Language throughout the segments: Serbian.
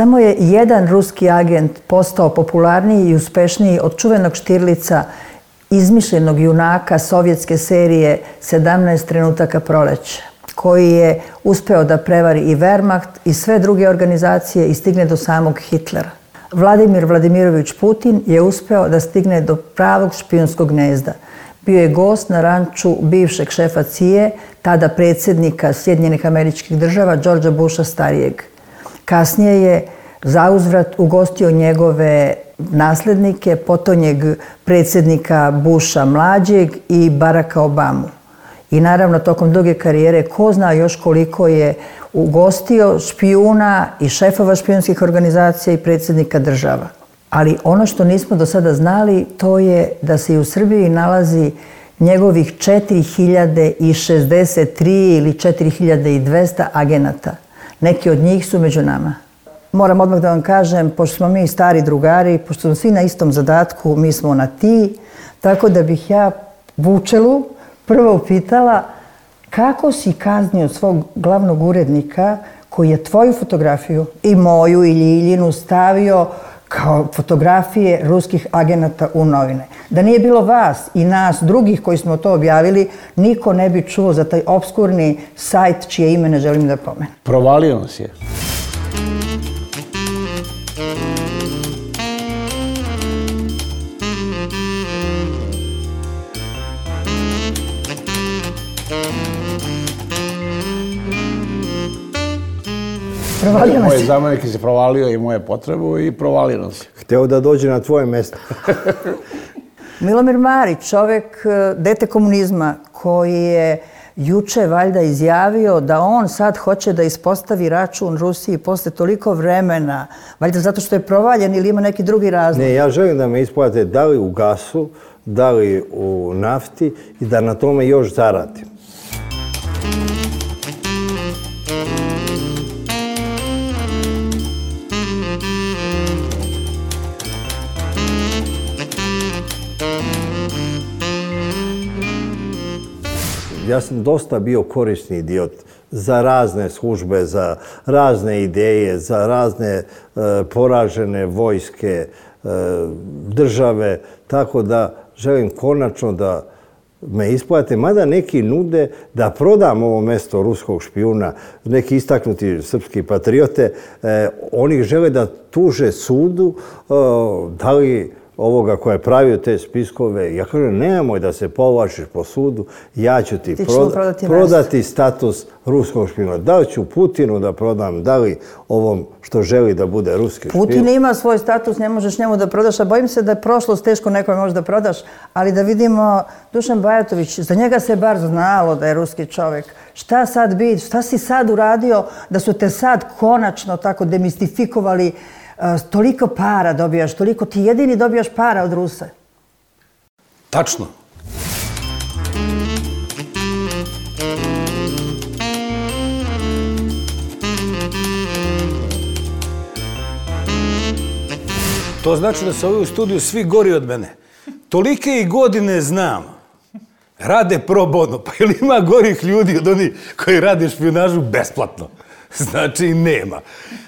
Samo je jedan ruski agent postao popularniji i uspešniji od čuvenog Štirlica, izmišljenog junaka sovjetske serije 17 trenutaka proleća, koji je uspeo da prevari i Wehrmacht i sve druge organizacije i stigne do samog Hitlera. Vladimir Vladimirović Putin je uspeo da stigne do pravog špijunskog gnezda. Bio je gost na ranču bivšeg šefa CIA, tada predsjednika Sjedinjenih Američkih Država, Georgea Busha starijeg. Kasnije je zauzvrat ugostio njegove naslednike, potonjeg predsjednika Busha mlađeg i Baracka Obamu. I naravno, tokom duge karijere, ko zna još koliko je ugostio špijuna i šefova špijunskih organizacija i predsjednika država. Ali ono što nismo do sada znali, to je da se i u Srbiji nalazi njegovih 4063 ili 4200 agenata. Neki od njih su među nama. Moram odmah da vam kažem, pošto smo mi stari drugari, pošto smo svi na istom zadatku, mi smo na ti, tako da bih ja Vučelu prvo upitala kako si kaznio svog glavnog urednika koji je tvoju fotografiju i moju i Ljiljinu stavio kao fotografije ruskih agenata u novine. Da nije bilo vas i nas drugih koji smo to objavili, niko ne bi čuo za taj obskurni sajt čije ime ne želim da pomenem. Provalio nas je. Moj zamenik se provalio i moje potrebu i provalio nas je. Hteo da dođe na tvoje mesto. Milomir Marić, čovek, dete komunizma, koji je juče valjda izjavio da on sad hoće da ispostavi račun Rusiji posle toliko vremena, valjda zato što je provaljen ili ima neki drugi razlog. Ne, ja želim da me isplate da li u gasu, da li u nafti i da na tome još zaradim. Ja sam dosta bio korisni idiot za razne službe, za razne ideje, za razne poražene vojske, države, tako da želim konačno da me isplate, mada neki nude da prodam ovo mesto ruskog špijuna, neki istaknuti srpski patriote, oni žele da tuže sudu, da li ovoga koja je pravio te spiskove. Ja kažem, nemoj da se povlačiš po sudu, ja ću ti prodati status ruskog špijuna. Da li ću Putinu da prodam, da li ovom što želi da bude ruski špijun? Putin ima svoj status, ne možeš njemu da prodaš, a bojim se da je prošlost teško nekome može da prodaš, ali da vidimo, Dušan Bajatović, za njega se bar znalo da je ruski čovek. Šta sad biti, šta si sad uradio da su te sad konačno tako demistifikovali? Toliko para dobijaš, toliko ti jedini dobijaš para od Rusa. Tačno. To znači da su ovi u studiju svi gori od mene. Tolike i godine znam. Rade pro bono. Pa ili ima gorih ljudi od onih koji rade špijunažu besplatno? Znači nema.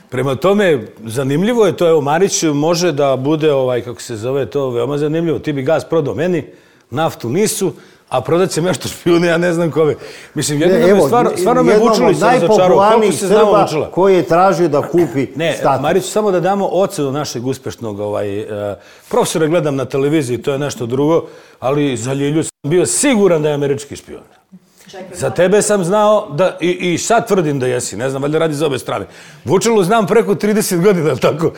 Prema tome, zanimljivo je to, evo, Marić može da bude, kako se zove to, veoma zanimljivo. Ti bi gas prodao meni, naftu nisu, a prodat će nešto špijune, ja ne znam kome. Mislim, stvarno me Vučilić sam začarao. Koliko se znamo Vučila? Koji je tražio da kupi status. Ne, Marić, samo da damo ocenu našeg uspešnog profesora, gledam na televiziji, to je nešto drugo, ali za Ljilju sam bio siguran da je američki špijun. Za tebe sam znao da, i sad tvrdim da jesi, ne znam, valjda radi za obe strane. Vučelu znam preko 30 godina, tako.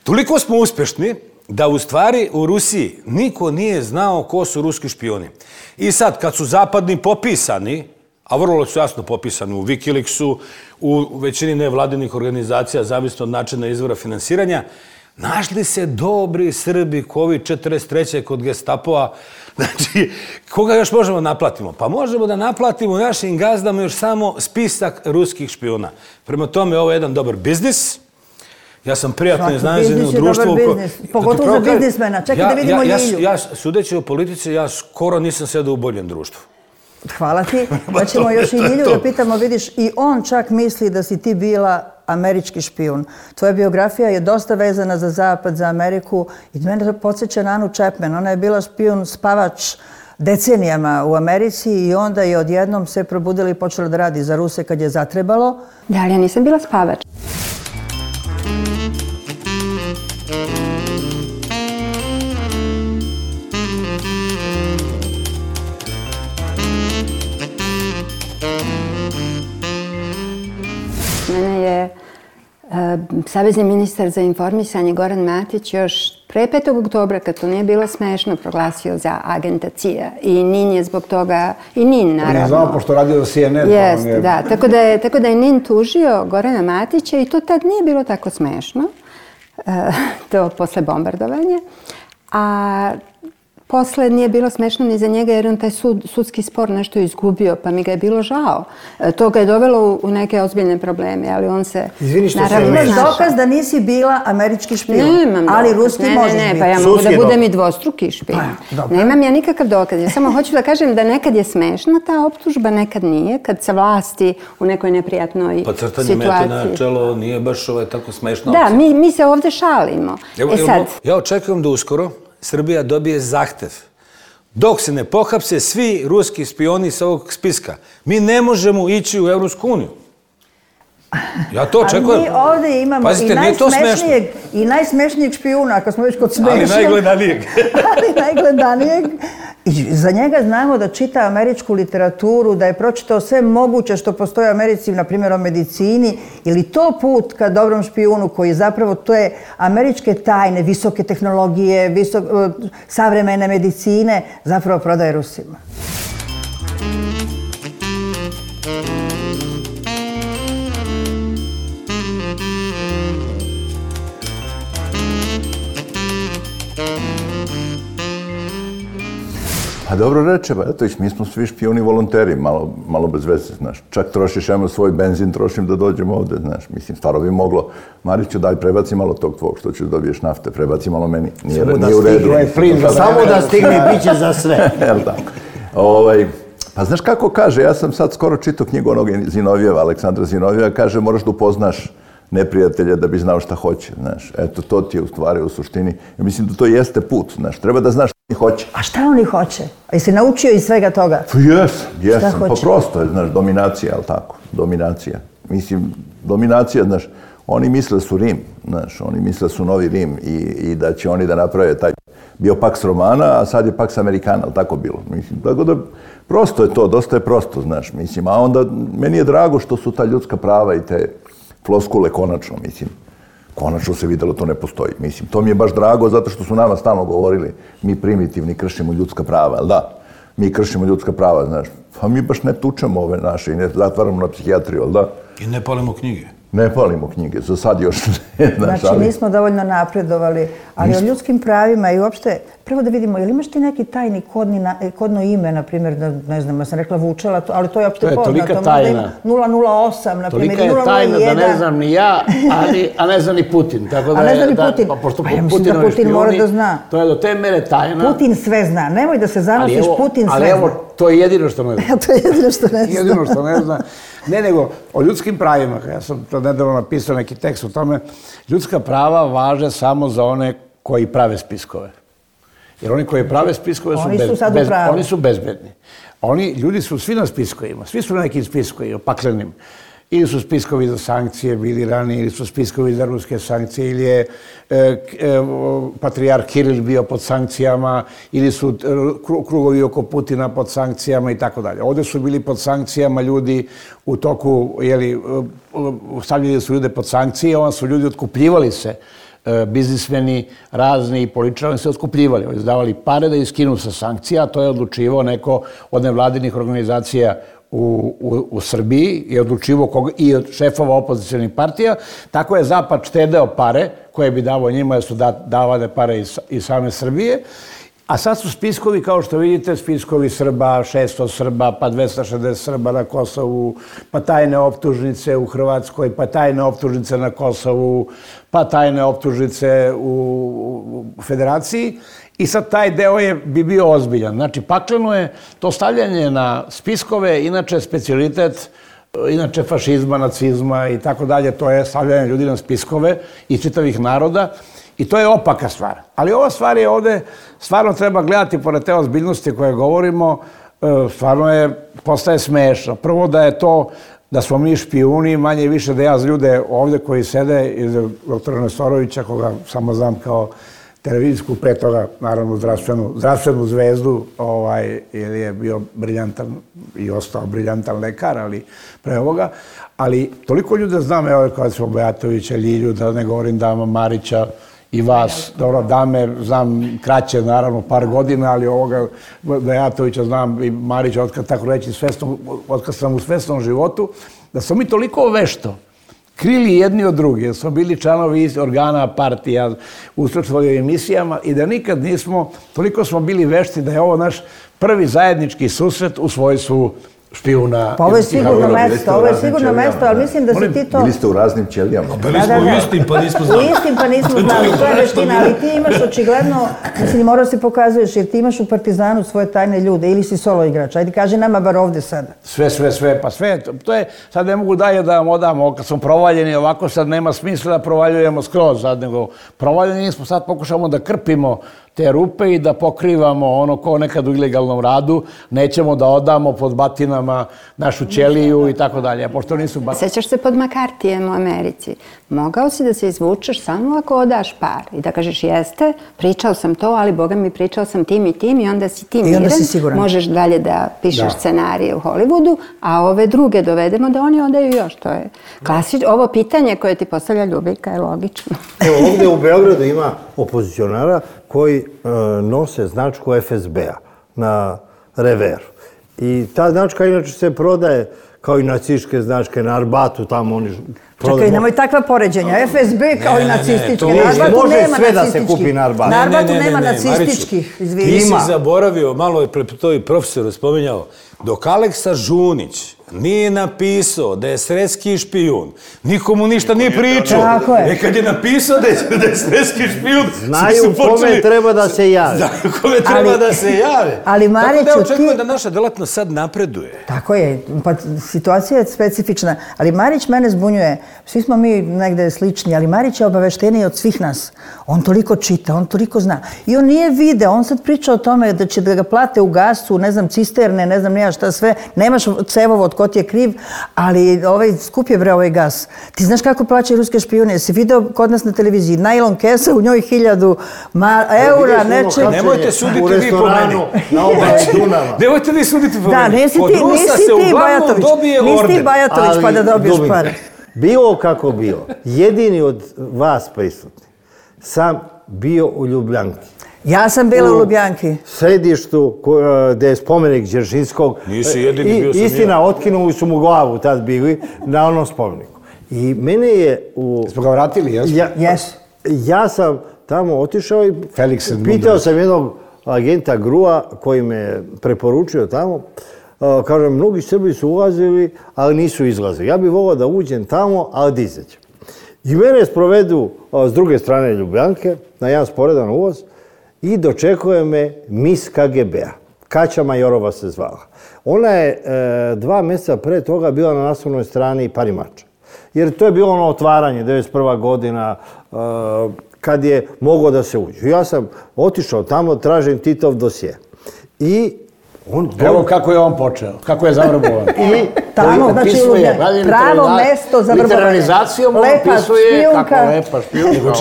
Toliko smo uspešni da u stvari u Rusiji niko nije znao ko su ruski špijuni. I sad, kad su zapadni popisani, a vrlo su jasno popisani u Wikileaksu, u većini nevladinih organizacija, zavisno od načina izvora finansiranja, našli se dobri Srbi, kovi 43. kod Gestapoa. Znači, koga još možemo naplatimo? Pa možemo da naplatimo našim gazdama još samo spisak ruskih špijuna. Prema tome, ovo je jedan dobar biznis. Ja sam prijatno iznenađen u društvu. Svaki biznis je dobar biznis, pogotovo za biznismena. Čekaj da vidimo Ljilju. Ja, sudeći o politici, ja skoro nisam sedao u boljem društvu. Hvala ti. Da ćemo još i Ljilju da pitamo, vidiš, i on čak misli da si ti bila američki špijun. Tvoja biografija je dosta vezana za Zapad, za Ameriku i mene to podsjeća na Anu Chapman. Ona je bila špijun, spavač decenijama u Americi i onda je odjednom se probudila i počela da radi za Ruse kad je zatrebalo. Da, ali ja nisam bila spavač. Mene je savezni ministar za informisanje Goran Matić još pre 5. oktobra, kad to nije bilo smešno, proglasio za agenta CIA. I NIN je zbog toga, i NIN naravno. Ne znamo, pošto radio za CNN. Jeste, da. Tako da je NIN tužio Gorana Matića i to tad nije bilo tako smešno. To posle bombardovanja. A posle nije bilo smešno ni za njega jer on taj sudski spor nešto izgubio, pa mi ga je bilo žao. To ga je dovelo u neke ozbiljne probleme, ali on se... Izvini što se... Imaš dokaz da nisi bila američki špijun, ali ruski možeš biti. Pa ja mogu da budem i dvostruki špijun. Nemam ja nikakav dokaz. Ja samo hoću da kažem da nekad je smešna ta optužba, nekad nije, kad se vlasti u nekoj neprijatnoj situaciji. Pa crtanje mete na čelo nije baš tako smešna opcija. Da, mi se ovde šalimo. Ja očekujem da uskoro Srbija dobije zahtev. Dok se ne pohapse svi ruski špioni sa ovog spiska, mi ne možemo ići u Evropsku uniju. Ja to očekujem. Ali mi ovdje imamo i najsmešnijeg špijuna, ako smo već kod smešnog. Ali najgledanijeg. I za njega znamo da čita američku literaturu, da je pročitao sve moguće što postoji u Americi, na primjer o medicini, ili to put ka dobrom špijunu koji zapravo to je američke tajne, visoke tehnologije, savremene medicine, zapravo prodaje Rusima. Pa dobro reče, Bajatović, mi smo svi špijuni volonteri, malo bez veze, znaš. Čak trošiš, svoj benzin trošim da dođem ovde, znaš. Mislim, stvarno bi moglo. Mariću, daj, prebaci malo tog tvog, što ćeš dobiješ nafte, prebaci malo meni. Nije u redu. Samo da stigne, bit će za sve. Jel tako? Pa znaš kako kaže, ja sam sad skoro čitao knjigu onog Zinovijeva, Aleksandra Zinovijeva, kaže moraš da upoznaš neprijatelja da bi znao šta hoće, znaš. Eto, to ti je u stvari, u suštini. Ja mislim da to jeste put, znaš. Treba da znaš šta oni hoće. A šta oni hoće? A jesi naučio iz svega toga? Pa jesam. Pa prosto je, znaš, dominacija, ali tako? Dominacija. Mislim, dominacija, znaš, oni misle su Rim, znaš, oni misle su novi Rim i da će oni da naprave taj bio Pax Romana, a sad je Pax Americana, ali tako bilo. Mislim, tako da prosto je to, dosta je prosto, znaš, mislim. A onda, meni je drago što su ta ljudska prava i te floskule konačno, mislim. Konačno se videlo, to ne postoji. Mislim, to mi je baš drago zato što su nama stalno govorili mi primitivni kršimo ljudska prava, ali da, mi kršimo ljudska prava, znaš. Pa mi baš ne tučemo ove naše i ne zatvaramo na psihijatriju, ali da. I ne palimo knjige. Ne palimo knjige, za sad još ne. Znači, nismo dovoljno napredovali, ali o ljudskim pravima i uopšte, prvo da vidimo, je li imaš ti neki tajni kodno ime, na primjer, ne znam, ja sam rekla Vučela, ali to je uopšte poznato. To je tolika tajna. 008, na primjer, 001. Tolika je tajna da ne znam ni ja, a ne zna ni Putin. A ne zna ni Putin. Pa ja mislim da Putin mora da zna. To je do te mere tajna. Putin sve zna, nemoj da se zanosiš, Putin sve zna. Ali evo, to je jedino što ne zna. To je jedino što ne zna. Jedino što ne zna. Ne, nego o ljudskim pravima. Ja sam to nedavno napisao neki tekst o tome. Ljudska prava važe samo za one koji prave spiskove. Jer oni koji prave spiskove oni su bezbedni. Ljudi su svi na spiskovima. Svi su na nekim spiskovima, paklenim. Ili su spiskovi za sankcije bili ranije, ili su spiskovi za ruske sankcije, ili je patrijarh Kiril bio pod sankcijama, ili su krugovi oko Putina pod sankcijama i tako dalje. Ovdje su bili pod sankcijama ljudi u toku, stavljali su ljude pod sankcije, onda su ljudi otkupljivali se. Biznismeni, razni i političari se otkupljivali. Oni izdavali pare da iskinu sa sankcija, a to je odlučivao neko od nevladinih organizacija u Srbiji i odlučivo i od šefova opozicionih partija. Tako je Zapad štedeo pare koje bi davao njima, jer su davane pare iz same Srbije. A sad su spiskovi, kao što vidite, spiskovi Srba, 600 Srba, pa 260 Srba na Kosovu, pa tajne optužnice u Hrvatskoj, pa tajne optužnice na Kosovu, pa tajne optužnice u Federaciji. I sad taj deo bi bio ozbiljan. Znači, pakleno je to stavljanje na spiskove, inače specijalitet inače fašizma, nacizma i tako dalje, to je stavljanje ljudi na spiskove i čitavih naroda i to je opaka stvar. Ali ova stvar je ovde, stvarno treba gledati pored te ozbiljnosti koje govorimo, stvarno postaje smešno. Prvo da je to, da smo mi špijuni, manje i više da ja za ljude ovde koji sede, iz doktora Nestorovića, koga samo znam kao televizijsku, pre toga, naravno, zdravstvenu zvezdu, jer je bio briljantan i ostao briljantan lekar, ali pre ovoga. Ali toliko ljude znam, evo, kao smo Bajatovića, Ljilju, da ne govorim Dama Marića i vas, dobro, Dame znam kraće, naravno, par godina, ali ovoga Bajatovića znam i Marića, otkad tako reći, otkad sam u svesnom životu, da smo mi toliko vešto krili jedni od drugi, jer smo bili članovi organa, partija, učestvovali u emisijama i da nikad nismo, toliko smo bili vešti da je ovo naš prvi zajednički susret u svojstvu špijuna. Pa ovo je sigurno mesto, ali mislim da si ti to... Bili ste u raznim ćelijama. Bili smo u istim, pa nismo znali. U istim, pa nismo znali, to je veština, ali ti imaš očigledno, mislim, morao si pokazuješ, jer ti imaš u Partizanu svoje tajne ljude, ili si solo igrač, ajde kaži nama bar ovde sada. Sve, pa sve, to je, sad ne mogu dalje da vam odamo, kad smo provaljeni ovako, sad nema smisla da provaljujemo skroz, sad nego provaljeni smo, sad pokušamo da krpimo te rupe i da pokrivamo ono ko nekad u ilegalnom radu, nećemo da odamo pod batinama našu ćeliju i tako dalje, pošto nisu batinama. Sećaš se pod Makartijem u Americi? Mogao si da se izvučeš samo ako odaš par i da kažeš jeste, pričao sam to, ali Boga mi pričao sam tim i tim i onda si ti miran, možeš dalje da pišeš scenarije u Hollywoodu, a ove druge dovedemo da oni odaju još. To je klasično. Ovo pitanje koje ti postavlja Ljubika je logično. Evo, ovdje u Beogradu ima opozicionara koji nose značku FSB-a na reveru. I ta značka inače se prodaje kao i nacističke značke na Arbatu, tamo oni prodaju. Čekaj, nemoj takva poređenja. FSB kao i nacističke. Može sve da se kupi na Arbatu. Na Arbatu nema nacističkih, izvini. Ti si zaboravio, malo je to i profesor spominjao, dok Aleksa Žunić nije napisao da je sredski špijun, nikomu ništa nije pričao. Tako je. Kad je napisao da je sredski špijun, znaju kome treba da se jave. Znaju kome treba da se jave. Ali Mariću, tako da očekujem da naša delatnost sad napreduje. Tako je, pa situacija je specifična. Ali Marić mene zbunjuje. Svi smo mi negde slični, ali Marić je obavešteniji od svih nas. On toliko čita, on toliko zna. I on nije video, on sad priča o tome da će da ga plate u gasu, ne znam, cisterne, ne znam nija šta sve. Nemaš cevovod, ko ti je kriv, ali skup je bre ovaj gas. Ti znaš kako plaćaju ruske špijune? Jesi video kod nas na televiziji? Najlon kesa, u njoj 1000 eura, nečeg. Nemojte suditi vi po meni. Na obali Dunava. Nemojte vi suditi po meni. Da, nisi ti Bajatović pa da dobiješ pare. Bilo kako bilo, jedini od vas prisutni sam bio u Ljubljanki. Ja sam bila u Ljubljanki. U središtu gde je spomenik Đeršinskog. Nisi jedini, bio sam ja. Istina, otkinuli su mu glavu tad bili na onom spomeniku. I mene je u... Smo ga vratili, jesmo? Ja sam tamo otišao i pitao sam jednog agenta Grua koji me preporučio tamo. Kažem, mnogi Srbi su ulazili, ali nisu izlazili. Ja bih volao da uđem tamo, ali da izađem. I mene sprovedu s druge strane Ljubljanke, na jedan sporedan ulaz, i dočekuje me mis KGB-a. Kaća Majorova se zvala. Ona je 2 mjeseca pre toga bila na naslovnoj strani Parimača. Jer to je bilo ono otvaranje, 91. godina, kad je moglo da se uđe. Ja sam otišao tamo, tražim Titov dosje. I evo kako je on počeo, kako je zavrbovan. I tamo, znači pravo mesto za vrbovanje. Literarizacijom on opisuje kako lepa špijunka.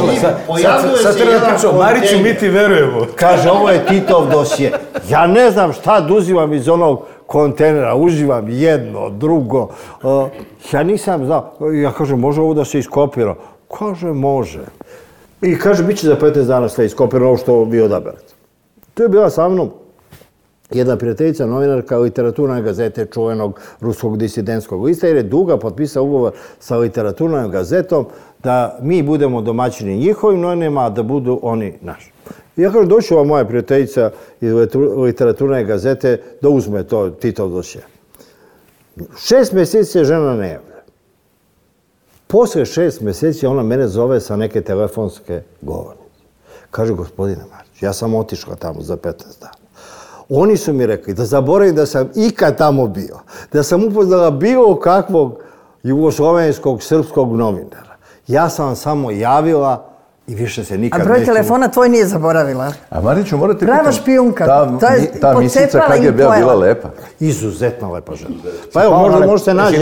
Sad treba da pričao, Mariću, mi ti verujemo. Kaže, ovo je Titov dosje. Ja ne znam šta da uzimam iz onog kontejnera, uživam jedno, drugo. Ja nisam znao, ja kažem, može ovo da se iskopira? Kaže, može. I kaže, bit će za 15 dana sve iskopirano, ovo što vi odaberete. To je bila sa mnom jedna prijateljica, novinarka Literaturne gazete, čuvenog ruskog disidentskog lista, jer je Duga potpisao ugovor sa Literaturnom gazetom da mi budemo domaćini njihovim novinama, a da budu oni naši. Ja kažem, došla moja prijateljica iz Literaturne gazete da uzme to Titov dosje. 6 mjeseci se žena ne javlja. Posle 6 mjeseci ona mene zove sa neke telefonske govornice. Kaže, gospodine Marić, ja sam otišla tamo za 15 dana. Oni su mi rekli da zaboravim da sam ikad tamo bio, da sam upoznala bilo kakvog jugoslovenskog, srpskog novinara. Ja sam vam samo javila i više se nikad neću... A broj telefona tvoj nije zaboravila? A Mariću, morate... Brava špijunka. Ta misica KGB-a bila lepa. Izuzetno lepa žena. Pa evo, možda se nađe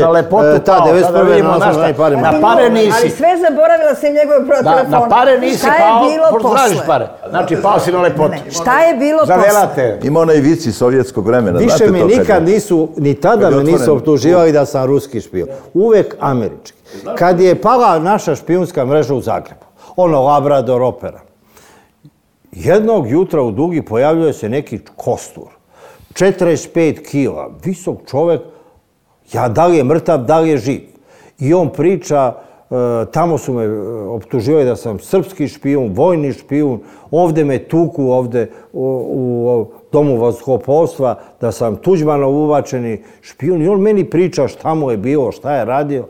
ta 91. Na pare nisi. Ali sve zaboravila sam njegove broj telefona. Na pare nisi pao, pošto tražiš pare. Znači, pao si na lepotu. Šta je bilo posle? Ima onaj vici sovjetskog vremena. Više me nikad nisu, ni tada me nisu optuživali da sam ruski špijun. Uvek američki. Kad je pala naša špijunska mreža u Zagrebu, ono Labrador opera. Jednog jutra u Dugi pojavljuje se neki kostur. 45 kila, visok čovek, da li je mrtav, da li je živ. I on priča, tamo su me optuživali da sam srpski špijun, vojni špijun, ovde me tuku, ovde u domu vazduhoplovstva, da sam Tuđmanov uvačeni špijun. I on meni priča šta mu je bilo, šta je radio.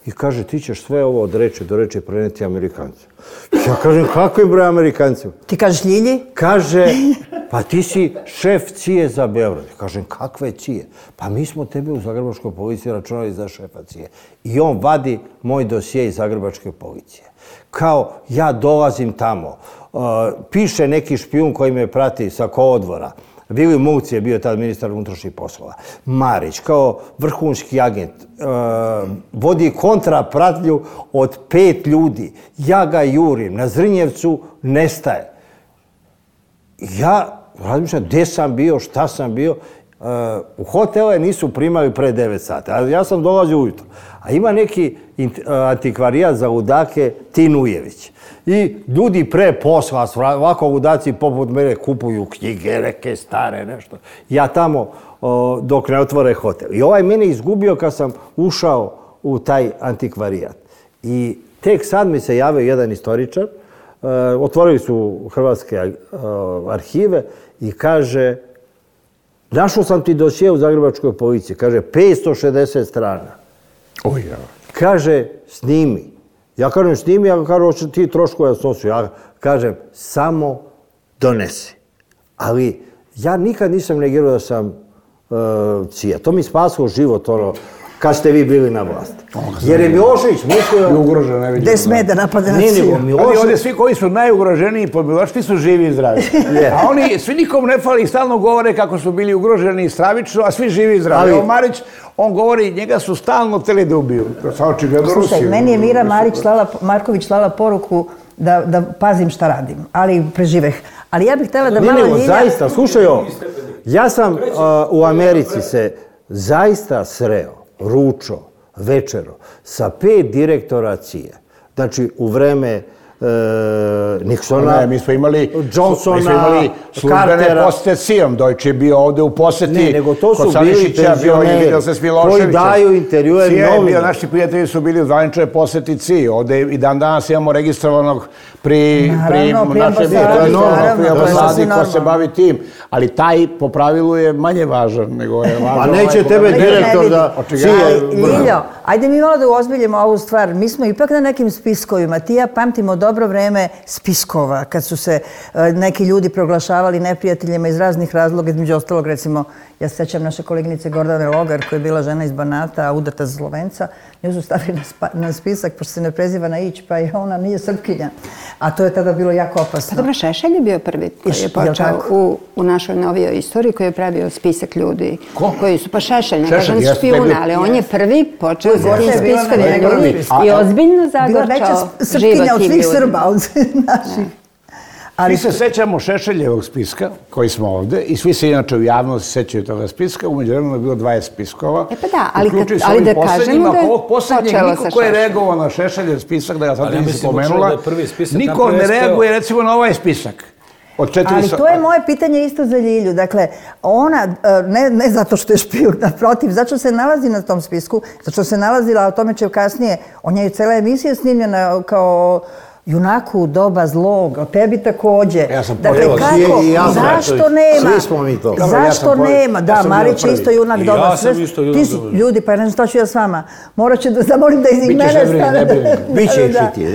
I kaže, ti ćeš sve ovo od reči do reči preneti Amerikancima. Ja kažem, kakvim broj Amerikancima? Ti kažeš Ljilji? Kaže, pa ti si šef CIA za Beograd. Kažem, kakve CIA? Pa mi smo tebe u Zagrebačkoj policiji računali za šefa CIA. I on vadi moj dosije iz Zagrebačke policije. Kao, ja dolazim tamo. Piše neki špijun koji me prati sa kolodvora. Vili Mulci je bio tad ministar unutrašnjih poslova. Marić, kao vrhunski agent, vodi kontrapratnju od 5 ljudi. Ja ga jurim, na Zrinjevcu nestaje. Ja razmišljam gdje sam bio, šta sam bio. U hotele nisu primali pre 9 sata, ali ja sam dolazio ujutro. A ima neki antikvarijat za ludake Tinujević. I ljudi pre posla, ovako ludaci poput mene kupuju knjige, neke stare, nešto. Ja tamo dok ne otvore hotel. I ovaj mene izgubio kad sam ušao u taj antikvarijat. I tek sad mi se javio jedan istoričar, otvorili su hrvatske arhive i kaže, našao sam ti dosije u Zagrebačkoj policiji, kaže 560 strana. Kaže, snimi. Ja kažem, snimi, ja kažem, hoće ti troškove snosu. Ja kažem, samo donesi. Ali ja nikad nisam negirao da sam CIA. To mi spasilo život, kad ste vi bili na vlasti. Jer je Milošević mislio... Gde sme da napade na CIA? Ali ovdje svi koji su najugroženiji pod Miloševićem su živi i zdravi. A oni, svi nikom ne fali i stalno govore kako su bili ugroženi stravično, a svi živi i zdravi. Evo Marić, on govori, njega su stalno hteli da ubiju. Slušaj, meni je Mira Marković slala poruku da pazim šta radim, ali preživeh. Ali ja bih htjela da malo Ljilja... Zaista, slušaj ovo. Ja sam u Americi se zaista sreo, ručo, večero, sa 5 direktora CIA. Znači, u vreme Nixona, mi smo imali Johnsona, službene posete CIA-om. Deutsche je bio ovde u poseti. Ne, nego to su bili penzioneri koji daju intervjue novinama. Naši prijatelji su bili u zvaničnoj poseti CIA. Ovde i dan danas imamo registrovanog pri našem ambasadi ko se bavi tim. Ali taj po pravilu je manje važan nego je važan. Pa neće tebe direktor da... Ljiljo, ajde mi malo da uozbiljimo ovu stvar. Mi smo ipak na nekim spiskovima. Ti ja pamtimo dobro vreme spiskova, kad su se neki ljudi proglašavali neprijateljima iz raznih razloga, između ostalog, recimo, ja se sećam naše koleginice Gordane Logar, koja je bila žena iz Banata, a udata za Slovenca, nju su stavili na spisak, pošto se ne preziva na Ić, pa je ona nije Srpkinja. A to je tada bilo jako opasno. Pa dobro, Šešelj je bio prvi koji je počeo u našoj novijoj istoriji, koji je pravio spisak ljudi. Ko? Koji su, pa Šešelj, ne kažem špijuna, ali on je prvi počeo za tim spiskovima ljudi i ozbiljno zagorčao život od svih Srba, od naših. Svi se sećamo Šešeljevog spiska, koji smo ovde, i svi se inače u javnosti sećaju toga spiska. Umeđu vremenu je bilo 20 spiskova. E pa da, ali da kažemo da je počelo niko ko je reagovao na Šešeljev spisak, da ga sad nisam spomenula, niko ne reaguje recimo na ovaj spisak. Ali to je moje pitanje isto za Ljilju. Dakle, ona, ne zato što je špijun, naprotiv, zato što se nalazi na tom spisku, zato što se nalazila, o tome će kasnije, on je cijela emisija snimljena kao junaku doba zlog, o tebi takođe. Ja sam dakle, kako, zašto nema? Svi smo mi to. Zašto nema? Da, Marić je isto junak doba. Ja sam isto junak doba. Ljudi, pa ne znam šta ću ja s vama. Morat ću da zamolim da iz mene stane. Biće ih i ti.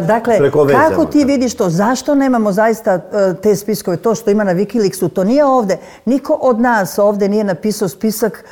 Dakle, kako ti vidiš to? Zašto nemamo zaista te spiskove? To što ima na Wikileaksu, to nije ovde. Niko od nas ovde nije napisao spisak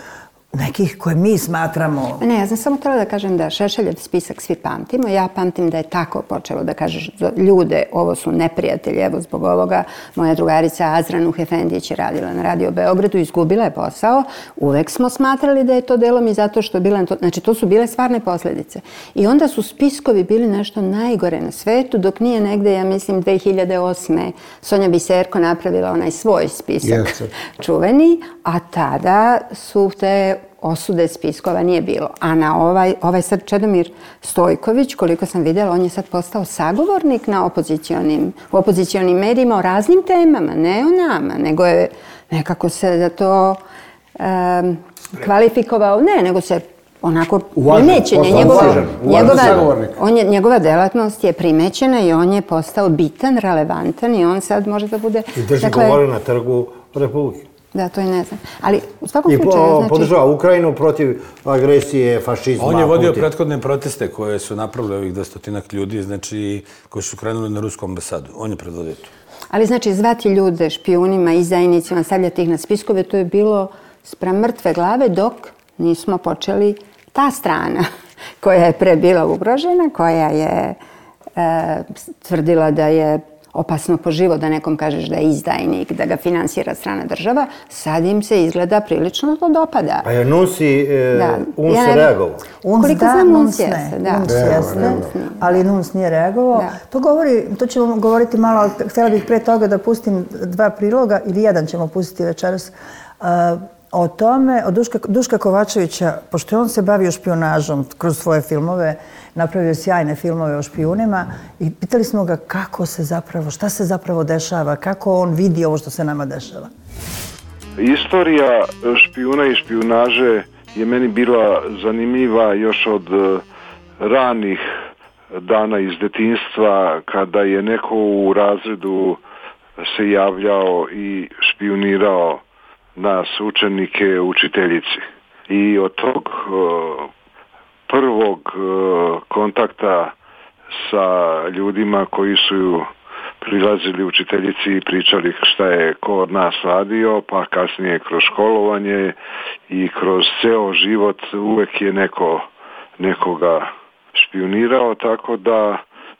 nekih koje mi smatramo... Ne, ja sam samo htjela da kažem da Šešeljev spisak svi pamtimo. Ja pamtim da je tako počelo da kažeš ljude, ovo su neprijatelji, evo zbog ovoga moja drugarica Azra Nuh Efendić je radila na Radio Beogradu, izgubila je posao. Uvek smo smatrali da je to delom i zato što je bila... Znači, to su bile stvarne posljedice. I onda su spiskovi bili nešto najgore na svetu, dok nije negde, ja mislim, 2008. Sonja Biserko napravila onaj svoj spisak čuveni, a tada su te osude spiskova nije bilo. A na ovaj sad Čedomir Stojković, koliko sam vidjela, on je sad postao sagovornik na opozicionim medijima o raznim temama, ne o nama, nego je nekako se za to kvalifikovao, nego se onako primećenje. Njegova delatnost je primećena i on je postao bitan, relevantan i on sad može da bude... I drži govore na trgu Republike. Da, to i ne znam. Ali u svakom slučaju... I podržava Ukrajinu protiv agresije, fašizma. On je vodio prethodne proteste koje su napravili ovih 200 ljudi, znači koji su krenuli na rusku ambasadu. On je predvodio to. Ali znači zvati ljude špijunima, izdajnicima, stavljati ih na spiskove, to je bilo spram mrtve glave dok nismo počeli ta strana koja je pre bila ugrožena, koja je tvrdila da je opasno po život da nekom kažeš da je izdajnik, da ga finansira strana država, sad im se izgleda prilično to dopada. A je Nunsi, UNS je reagovao? Koliko znam, Nuns jeste. Ali Nuns nije reagovao. To ćemo govoriti malo, ali htjela bih pre toga da pustim 2 priloga, ili jedan ćemo pustiti večeras, o tome, od Duška Kovačevića, pošto on se bavio špijunažom kroz svoje filmove, napravio sjajne filmove o špijunima i pitali smo ga kako se zapravo, šta se zapravo dešava, kako on vidi ovo što se nama dešava. Istorija špijuna i špijunaže je meni bila zanimljiva još od ranih dana iz detinjstva, kada je neko u razredu se javljao i špijunirao nas učenike, učiteljici. I od tog prvog kontakta sa ljudima koji su prilazili učiteljici i pričali šta je ko od nas radio, pa kasnije kroz školovanje i kroz ceo život uvek je nekoga špijunirao, tako da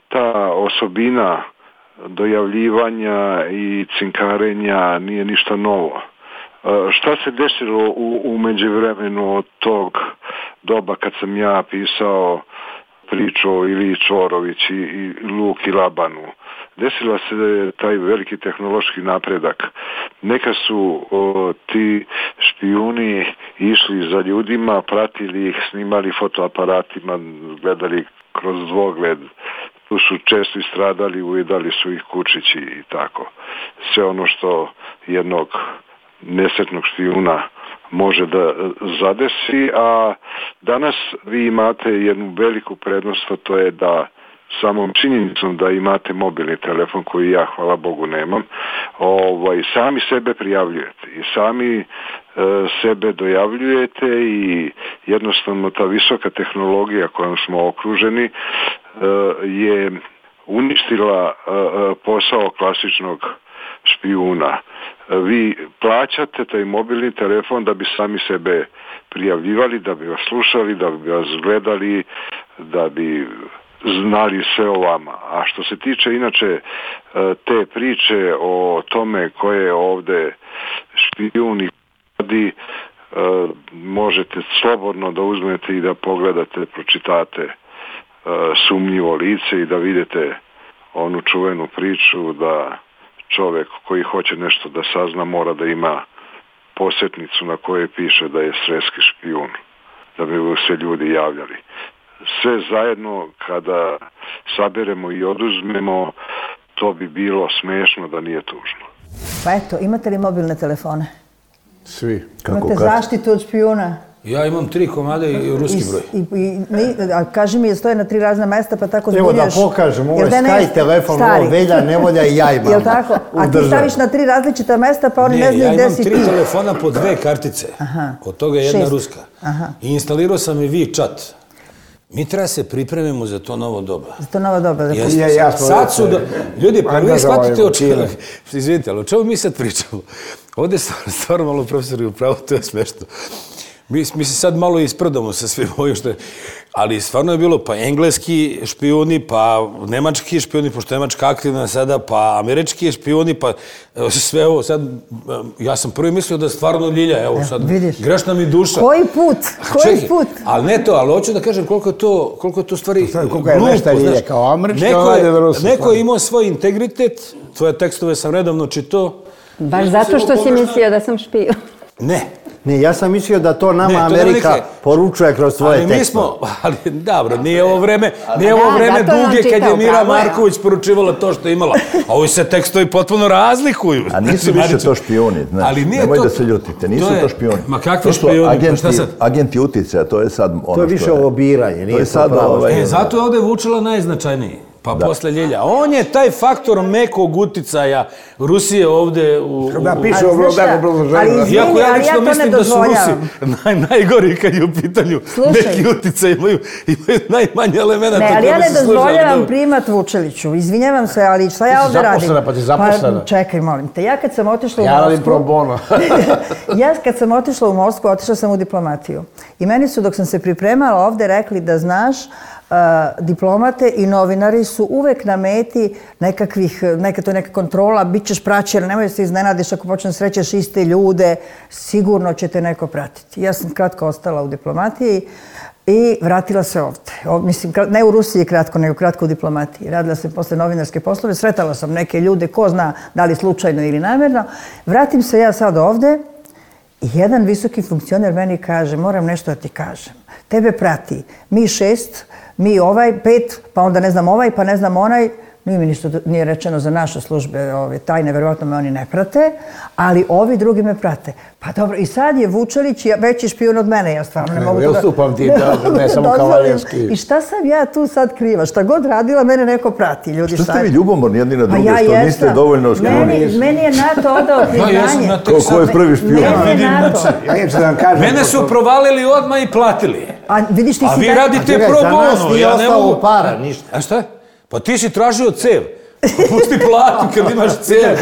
ta osobina dojavljivanja i cinkarenja nije ništa novo. Šta se desilo u međuvremenu od tog doba kad sam ja pisao priču o Iliji Čvorović i Luki Labanu? Desila se taj veliki tehnološki napredak. Neka su ti špijuni išli za ljudima, pratili ih, snimali fotoaparatima, gledali kroz dvogled. Tu su često istradali, ujedali su ih kučići i tako. Sve ono što jednog nesretnog špijuna može da zadesi, a danas vi imate jednu veliku prednost, a to je da samom činjenicom da imate mobilni telefon, koji ja, hvala Bogu, nemam, sami sebe prijavljujete i sami sebe dojavljujete i jednostavno ta visoka tehnologija kojom smo okruženi je uništila posao klasičnog špijuna. Vi plaćate taj mobilni telefon da bi sami sebe prijavljivali, da bi vas slušali, da bi vas gledali, da bi znali sve o vama. A što se tiče inače te priče o tome ko je ovde špijun i radi, možete slobodno da uzmete i da pogledate, pročitate Sumnjivo lice i da vidite onu čuvenu priču da čovjek koji hoće nešto da sazna mora da ima posjetnicu na kojoj piše da je sreski špijun, da bi se ljudi javljali. Sve zajedno kada saberemo i oduzmemo, to bi bilo smešno da nije tužno. Pa eto, imate li mobilne telefone? Svi. Imate zaštitu od špijuna? Ja imam 3 komade i ruski broj. A kaži mi, stoje na 3 razna mesta, pa tako zbunjuješ. Evo da pokažem, ovo je Sky telefon, ovo Velja, Nevolja i ja imam. Jel tako? A ti staviš na 3 različita mesta, pa oni ne znaju gde si ti. Ja imam 3 telefona po 2 kartice. Od toga je jedna ruska. I instalirao sam i WeChat. Mi treba se pripremimo za to novo doba. Za to novo doba. Sad su ljudi, pa vi shvatite o čemu. Izvinite, ali o čemu mi sad pričamo? Ovdje je stvarno malo profesori upravo, to je smešno. Mi se sad malo isprdamo sa svim ovim što je, ali stvarno je bilo pa engleski špijuni, pa nemački špijuni, pošto je Nemačka aktivna sada, pa američki špijuni, pa sve ovo sad, ja sam prvi mislio da stvarno Ljilja, evo sad, grešna mi duša. Koji put? Koji put? Ali ne to, ali hoću da kažem koliko je to stvari koliko je nešto Ljilja, kao američki, neko je imao svoj integritet, tvoje tekstove sam redovno čitao. Baš zato što si mislio da sam špijun. Ne, ja sam mislio da to nama Amerika poručuje kroz svoje tekste. Ali dobro, nije ovo vreme duge kad je Mira Marković poručivala to što je imala. A ovi se tekstovi potpuno razlikuju. A nisu više to špijuni, znači, nemoj da se ljutite, nisu to špijuni. Ma kakvi špijuni? Agenti uticaja, to je sad ono što je. To je više lobiranje, nije to pravo. Zato je ovdje Vučila najznačajniji. Pa posle Ljilja. On je taj faktor mekog uticaja Rusije ovdje u... Da, piše u obrazloženju. Iako ja lično mislim da su Rusi najgori kad je u pitanju neki uticaj, imaju najmanje elementa. Ne, ali ja ne dozvoljavam primat Vučeliću. Izvinjavam se, ali šta ja ovdje radim? Pa ti zaposlena. Čekaj, molim te. Ja kad sam otišla u Moskvu... Ja radim pro bono. Ja kad sam otišla u Moskvu, otišla sam u diplomatiju. I meni su, dok sam se pripremala ovdje, rekli da znaš, diplomate i novinari su uvek na meti neka kontrola, bit ćeš praćen, nemoj da se iznenadiš ako počne srećeš iste ljude, sigurno će te neko pratiti. Ja sam kratko ostala u diplomatiji i vratila se ovdje. Mislim, ne u Rusiji kratko, nego kratko u diplomatiji. Radila sam posle novinarske poslove, sretala sam neke ljude, ko zna da li slučajno ili namjerno. Vratim se ja sad ovdje i jedan visoki funkcioner meni kaže, moram nešto da ti kažem. Tebe prati mi 6, mi 5, pa onda ne znam ovaj, pa ne znam onaj. Nije mi ništa nije rečeno za naše službe tajne, verovatno me oni ne prate, ali ovi drugi me prate. Pa dobro, i sad je Vučelić veći špijun od mene, ja stvarno ne mogu to da... Ja stupam ti, ne samo kavaljerski. I šta sam ja tu sad kriva? Šta god radila, mene neko prati, ljudi. Što ste vi ljubomorni jedni na druge, što niste dovoljno špijuni? Meni je NATO odao priznanje. Ko je prvi špijun? Mene su provalili odmah i platili. A vi radite pro bono. Za nas nije ostalo para, ništa. A šta? Pa ti si tražio cev. Pusti platu kad imaš cev.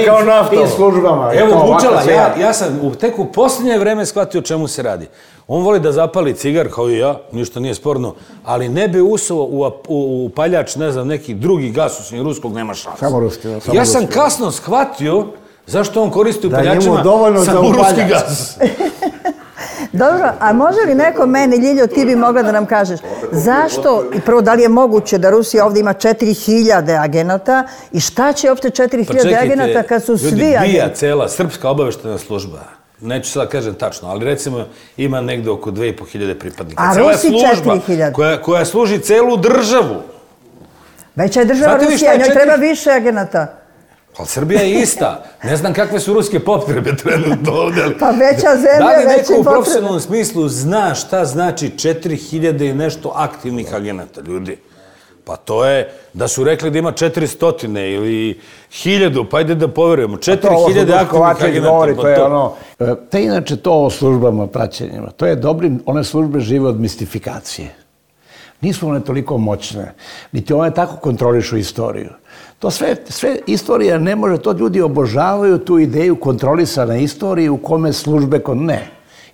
Kao nafta. Tim službama. Evo, Vučela, ja sam tek u posljednje vreme shvatio o čemu se radi. On voli da zapali cigar, kao i ja, ništa nije sporno, ali ne bi usao u paljač, ne znam, neki drugi gas, osim ruskog, nema šanse. Samo ruski. Ja sam kasno shvatio zašto on koristi u paljačima samo ruski gas. Dobro, a može li neko meni, Ljiljo, ti bi mogla da nam kažeš, zašto, i prvo, da li je moguće da Rusija ovdje ima 4000 agenata i šta će uopšte 4000 agenata kad su svi agenti? Ljudi, BIA, cela srpska obaveštena služba, neću sada kažem tačno, ali recimo ima negde oko 2500 pripadnika. A Rusi 4000? Koja služi celu državu. Veća je država Rusija, njoj treba više agenata. Ali Srbija je ista. Ne znam kakve su ruske potrebe trenutno ovdje. Pa veća zemlja, veće potrebe. Da li neko u profesionalnom smislu zna šta znači 4000 i nešto aktivnih agenata, ljudi? Pa to je da su rekli da ima 400 ili 1000, pa ajde da poverujemo. 4000 aktivnih agenata. Te inače to o službama praćenjima. To je dobrim, one službe žive od mistifikacije. Nisu one toliko moćne, niti one tako kontrolišu istoriju. To sve istorija ne može, to ljudi obožavaju tu ideju kontrolisane istorije u kome službe, ne.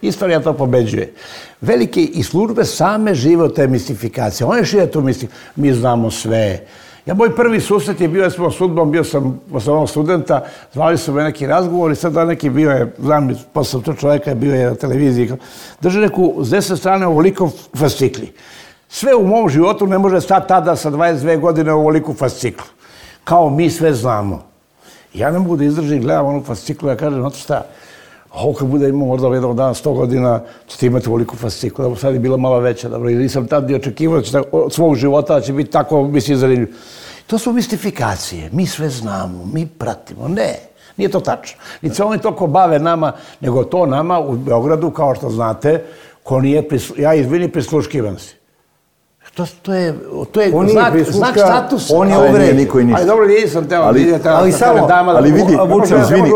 Istorija to pobeđuje. Velike i službe same žive od te mistifikacije. One šire tu mistifikacije. Mi znamo sve. Moj prvi susret je bio, smo sudbom, bio sam osnovnog studenta, zvali su me neki razgovor i sad da neki bio je, znam, posle to čovjeka je bio je na televiziji, drže neku s desne strane ovoliko fascikli. Sve u mom životu ne može stati tada sa 22 godine u ovoliku fasciklu. Kao mi sve znamo. Ja ne mogu da izdržim, gledam onu fasciklu, ja kažem, znate šta, ovo kad bude imao možda jednog dana 100 godina, ćete imati ovoliku fasciklu, da sad je bila malo veća, dobro, i nisam tad ni očekivao da će od svog života da će biti tako, mislim, zanimljiv. To su mistifikacije. Mi sve znamo, mi pratimo. Ne, nije to tačno. Niti se oni toliko bave nama, nego to nama u Beogradu, kao što znate, ko nije, ja izvini, prisluškivan si. To je znak statusa. On je uvred. Niko i ništa. Ali dobro, nisam teo. Ali vidi, izvini,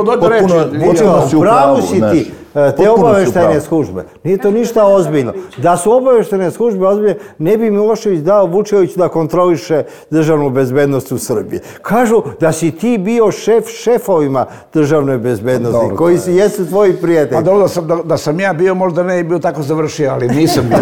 pravu si ti. Te obaveštajne službe. Nije to ništa ozbiljno. Da su obaveštajne službe ozbiljne, ne bi Milošević dao Vučeviću da kontroliše državnu bezbednost u Srbiji. Kažu da si ti bio šefovima državne bezbednosti, koji jesu tvoji prijatelji. Pa dobro, da sam ja bio, možda ne bi bio tako završio, ali nisam bio.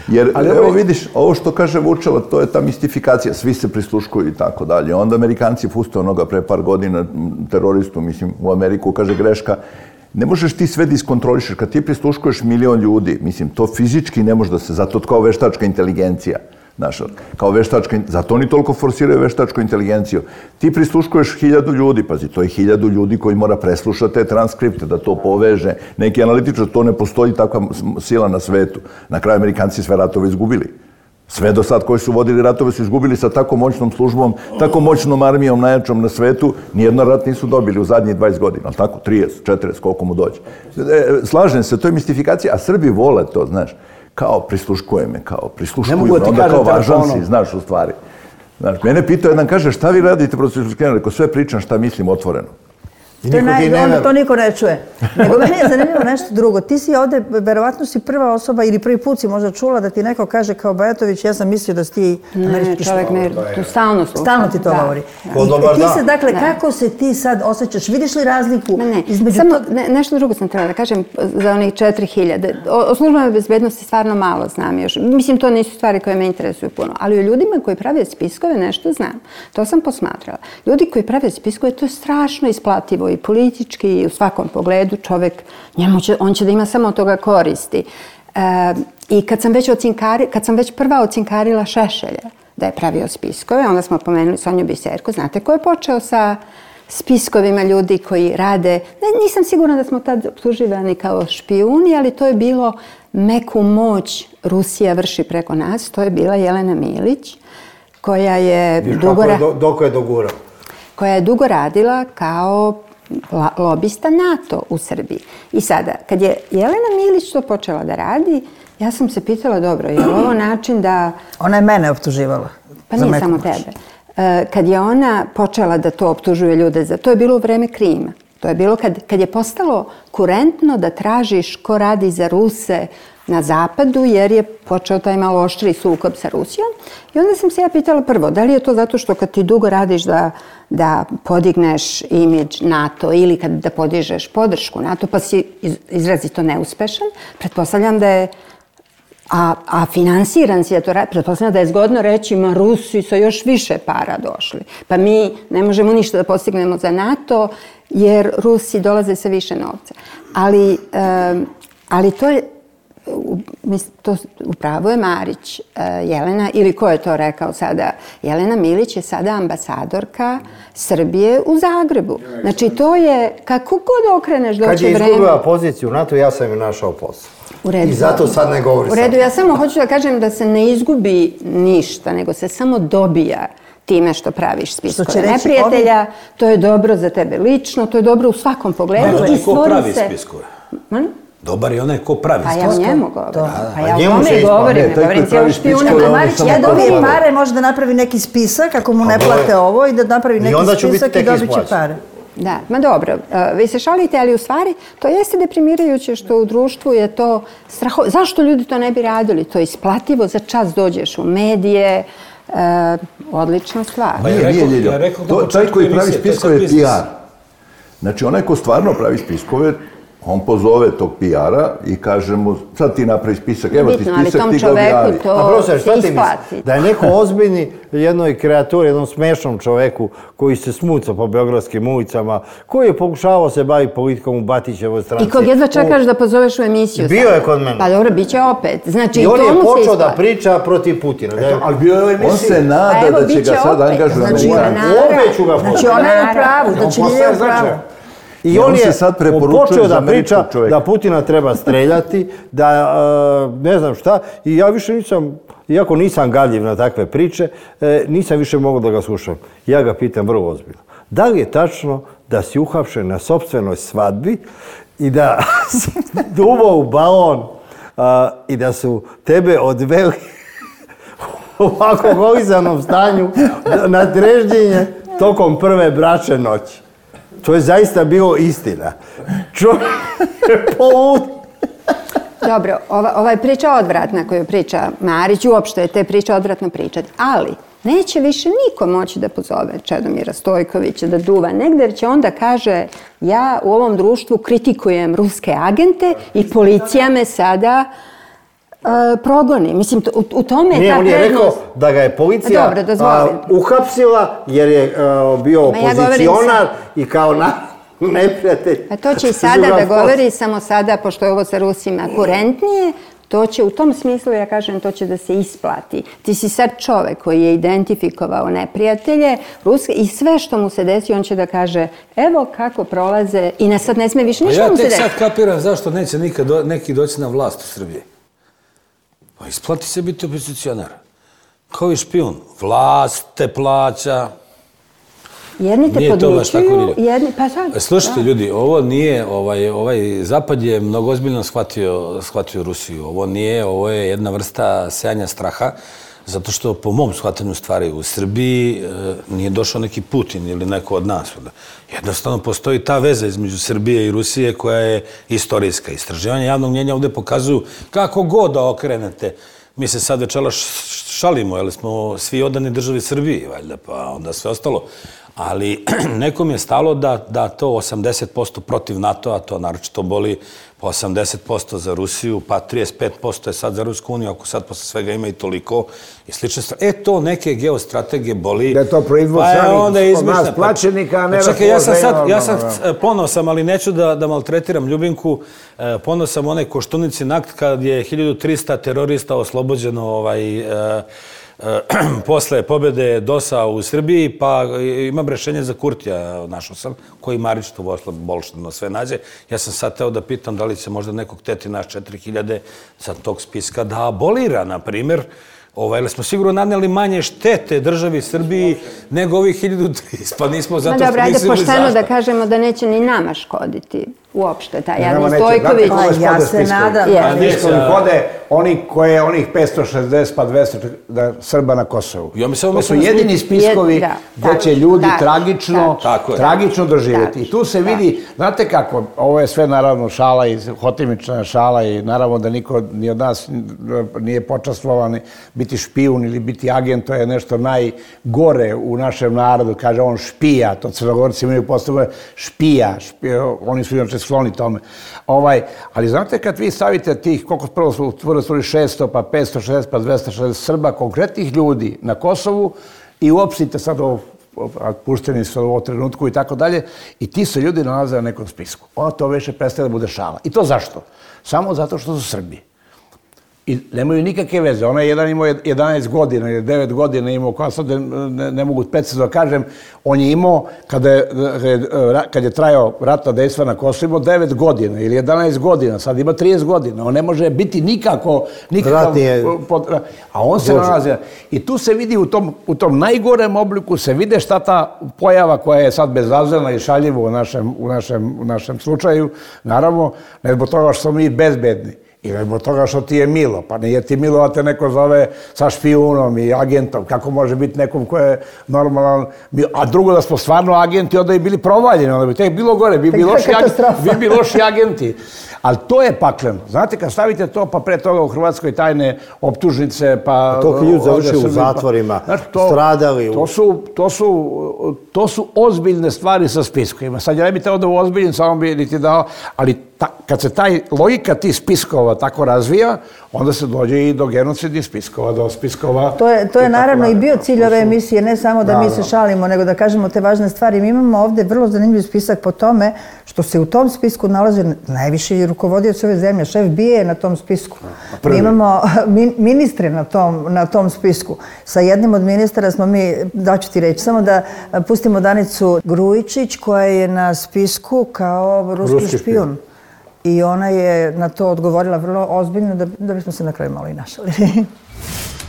Jer, evo vidiš, ovo što kaže Vučevo, to je ta mistifikacija, svi se prisluškuju i tako dalje. Onda Amerikanci puste onoga pre par godina teroristu, mislim, u Ameriku, kaže greška. Ne možeš ti sve da iskontrolišeš. Kad ti prisluškuješ 1 milion ljudi, mislim, to fizički ne može da se, zato kao veštačka inteligencija, znaš, kao veštačka, zato oni toliko forsiraju veštačku inteligenciju. Ti prisluškuješ 1000 ljudi, pazi, to je 1000 ljudi koji mora preslušati te transkripte, da to poveže. Neki analitičar, to ne postoji takva sila na svetu. Na kraju Amerikanci sve ratove izgubili. Sve do sad koji su vodili ratove su izgubili sa tako moćnom službom, tako moćnom armijom najjačom na svetu, nijedno rat nisu dobili u zadnjih 20 godina, ali tako, 30, 40, koliko mu dođe. Slažem se, to je mistifikacija, a Srbi vole to, znaš, kao prisluškuje me, kao prisluškuju me, onda kao važan si, znaš, u stvari. Znaš, mene pitao jedan, kaže, šta vi radite protiv prisluškivanja? Rekao, sve pričam šta mislim otvoreno. To niko ne čuje. Nego meni je zanimljivo nešto drugo. Ti si ovde, verovatno si prva osoba ili prvi put si možda čula da ti neko kaže kao Bajatović, ja sam mislio da si ti američki čovjek me tu stalno sluša. Stalno ti to govori. I ti se, dakle, kako se ti sad osjećaš? Vidiš li razliku između... Samo nešto drugo sam trebala da kažem za onih 4000. O službenoj bezbednosti stvarno malo znam još. Mislim, to nisu stvari koje me interesuju puno. Ali o ljudima koji prave spiskove nešto znam. To sam posmatrala. Ljudi koji prave spiskove, to je strašno isplativo i politički i u svakom pogledu čovjek, on će da ima samo od toga koristi. I kad sam već prva ocinkarila Šešelja da je pravio spiskove, onda smo pomenuli Sonju Biserku. Znate ko je počeo sa spiskovima ljudi koji rade? Nisam sigurna da smo tad optuživani kao špijuni, ali to je bilo meku moć Rusija vrši preko nas. To je bila Jelena Milić, koja je dugo radila kao lobista NATO u Srbiji. I sada, kad je Jelena Milić to počela da radi, ja sam se pitala, dobro, je li ovo način da... Ona je mene optuživala. Pa nije samo tebe. Kad je ona počela da to optužuje ljude za... To je bilo u vreme Krima. To je bilo kad je postalo kurentno da tražiš ko radi za Ruse na zapadu, jer je počeo taj malo oštri sukob sa Rusijom. I onda sam se ja pitala prvo, da li je to zato što kad ti dugo radiš da podigneš imidž NATO ili da podižeš podršku NATO, pa si izrazito neuspešan, pretpostavljam da je a finansiran si, pretpostavljam da je zgodno reći, ma Rusi sa još više para došli. Pa mi ne možemo ništa da postignemo za NATO, jer Rusi dolaze sa više novca. Ali to je, upravo je Marić, Jelena, ili ko je to rekao sada, Jelena Milić je sada ambasadorka Srbije u Zagrebu. Znači to je, kako god okreneš doće vreme... Kad je izgubila poziciju u NATO, ja sam ju našao posao. I zato sad ne govori sam. U redu, ja samo hoću da kažem da se ne izgubi ništa, nego se samo dobija time što praviš spiskove neprijatelja. To je dobro za tebe lično, to je dobro u svakom pogledu. I stvori se... Dobar je onaj ko pravi spiskove. Pa ja o njemu govorim. Pa ja o tome govorim. Ne govorim cijelo špijunima. Marić, ja dobijem pare, može da napravi neki spisak, ako mu ne plate ovo, i da napravi neki spisak i dobit će pare. Da, ma dobro, vi se šalite, ali u stvari to jeste deprimirajuće što u društvu je to strahovito. Zašto ljudi to ne bi radili? To je isplativo, za čas dođeš u medije, odlična stvar. Taj koji pravi spiskove je PR. Znači, onaj ko stvarno pravi spiskove, on pozove tog PR-a i kaže mu, sad ti napravi spisak, evo ti spisak, ti ga objavi. A profesor, šta ti misliš? Da je neko ozbiljni jednoj kreaturi, jednom smešnom čoveku koji se smuca po beogradskim ulicama, koji je pokušavao se baviti politikom u Batićevoj stranci. I kog jedva čekaš da pozoveš u emisiju. Bio je kod mene. Pa dobro, bit će opet. I on je počeo da priča protiv Putina. Ali bio je u emisiji. On se nada da će ga sad angažovati. Znači ona je u pravu. Znači nije u pravu. I on je sad preporučuje počeo za da priča američkog čoveka. da Putina treba streljati, da ne znam šta. I ja više nisam, iako nisam gadljiv na takve priče, nisam više mogao da ga slušam. Ja ga pitam vrlo ozbiljno. Da li je tačno da si uhapšen na sopstvenoj svadbi i da si duvao u balon i da su tebe odveli u alkoholizanom stanju na Dreždinje tokom prve bračne noći? To je zaista bilo istina. Čovjek je polud. Dobro, ova je priča odvratna koju priča Marić, uopšte je te priče odvratno pričati, ali neće više niko moći da pozove Čedomira Stojkovića da duva negde, jer će onda kaže ja u ovom društvu kritikujem ruske agente i policija me sada progoni. Mislim, u tome je ta prednost. On je rekao da ga je policija uhapsila jer je bio opozicionar i kao neprijatelj. A to će i sada da govori, samo sada, pošto je ovo sa Rusima kurentnije, to će u tom smislu, ja kažem, to će da se isplati. Ti si sad čovek koji je identifikovao neprijatelje ruske i sve što mu se desi, on će da kaže evo kako prolaze i sad ne sme više ništa mu se desi. Ja tek sad kapiram zašto neće nikad neki doći na vlast u Srbiji. Pa isplati se biti opozicionar. Kao i špijun. Vlast te plaća. Jedni te podmićuju, jedni... Pa sad... Slušajte ljudi, ovo nije... Zapad je mnogo ozbiljno shvatio Rusiju. Ovo je jedna vrsta sejanja straha, zato što po mom shvatanju stvari u Srbiji nije došao neki Putin ili neko od nas. Jednostavno postoji ta veza između Srbije i Rusije koja je istorijska. Istraživanja javnog mnjenja ovdje pokazuju kako god da okrenete. Mi se sad večeras šalimo, jer smo svi odani državi Srbiji, valjda, pa onda sve ostalo. Ali nekom je stalo da to 80% protiv NATO-a, to naročito boli, pa 80% za Rusiju, pa 35% je sad za Rusku uniju, ako sad posle svega ima i toliko i slične stvari. To neke geostrategije boli. Da je to proizvod od nas plaćenika, a ne da... Čekaj, ja sam ponosan, ali neću da maltretiram Ljubinku. Ponosan onaj Koštunici akt kad je 1300 terorista oslobođeno posle pobjede DOS-a u Srbiji, pa imam rešenje za Kurtija, našao sam, koji Marić to bolšteno sve nađe. Ja sam sad teo da pitam da li će možda nekog teti naš 4000 sa tog spiska da abolira, na primjer, jer smo sigurno naneli manje štete državi Srbiji nego ovih 1300, pa nismo zato što mislili zašto. Pošteno da kažemo da neće ni nama škoditi uopšte, taj Jadni Stojković. Ja se nadam. Spiskovi kode onih 560 pa 200 Srba na Kosovu. To su jedini spiskovi gdje će ljudi tragično doživjeti. I tu se vidi, znate kako, ovo je sve naravno šala i hotimična šala i naravno da niko ni od nas nije počastvovan biti špijun ili biti agent, to je nešto najgore u našem narodu, kaže on špija, to Crnogorci imaju postavljeno špija, oni su inače skloni tome. Ali znate kad vi stavite tih, koliko prvo su utvorili 600, pa 560, pa 260 Srba, konkretnih ljudi na Kosovu i uopštite sad pušteni su u ovom trenutku i tako dalje, i ti se ljudi nalaze na nekom spisku. To više prestaje da bude šala. I to zašto? Samo zato što su Srbi. I nemaju nikakve veze. Ona je jedan imao 11 godina ili 9 godina imao, koja sad ne mogu precizno da kažem, on je imao, kad je trajao ratna dejstva na Kosovu, imao 9 godina ili 11 godina, sad ima 30 godina. On ne može biti nikako... A on se nalazi... I tu se vidi u tom najgorem obliku, se vide šta ta pojava koja je sad bezazlena i šaljiva u našem slučaju, naravno, ne zbog toga što smo mi bezbedni. Ili zbog toga što ti je milo, pa nije ti milo da te neko zove sa špijunom i agentom. Kako može biti nekom ko je normalan? A drugo da smo stvarno agenti, onda bi bili provaljeni, onda bi tek bilo gore, bi bili loši agenti. Ali to je pakleno. Znate, kad stavite to, pa pre toga u Hrvatskoj tajne optužnice, pa... Toliko ljudi završili u zatvorima, stradali. To su ozbiljne stvari sa spiskovima. Sad ja ne bi teo da u ozbiljnim, samo bi ti dao, ali kad se taj logika tih spiskova tako razvija, onda se dođe i do genocidnih spiskova, do spiskova... To je naravno i bio cilj ove emisije, ne samo da mi se šalimo, nego da kažemo te važne stvari. Mi imamo ovde vrlo zanimljiv spisak po tome što se u tom spisku nalaze najviši rukovodioci ove zemlje. Šef BIA je na tom spisku. Mi imamo ministre na tom spisku. Sa jednim od ministara smo mi, daću ti reći, samo da pustimo Danicu Grujičić koja je na spisku kao ruski špijun. I ona je na to odgovorila vrlo ozbiljno da bismo se na kraju malo i našali.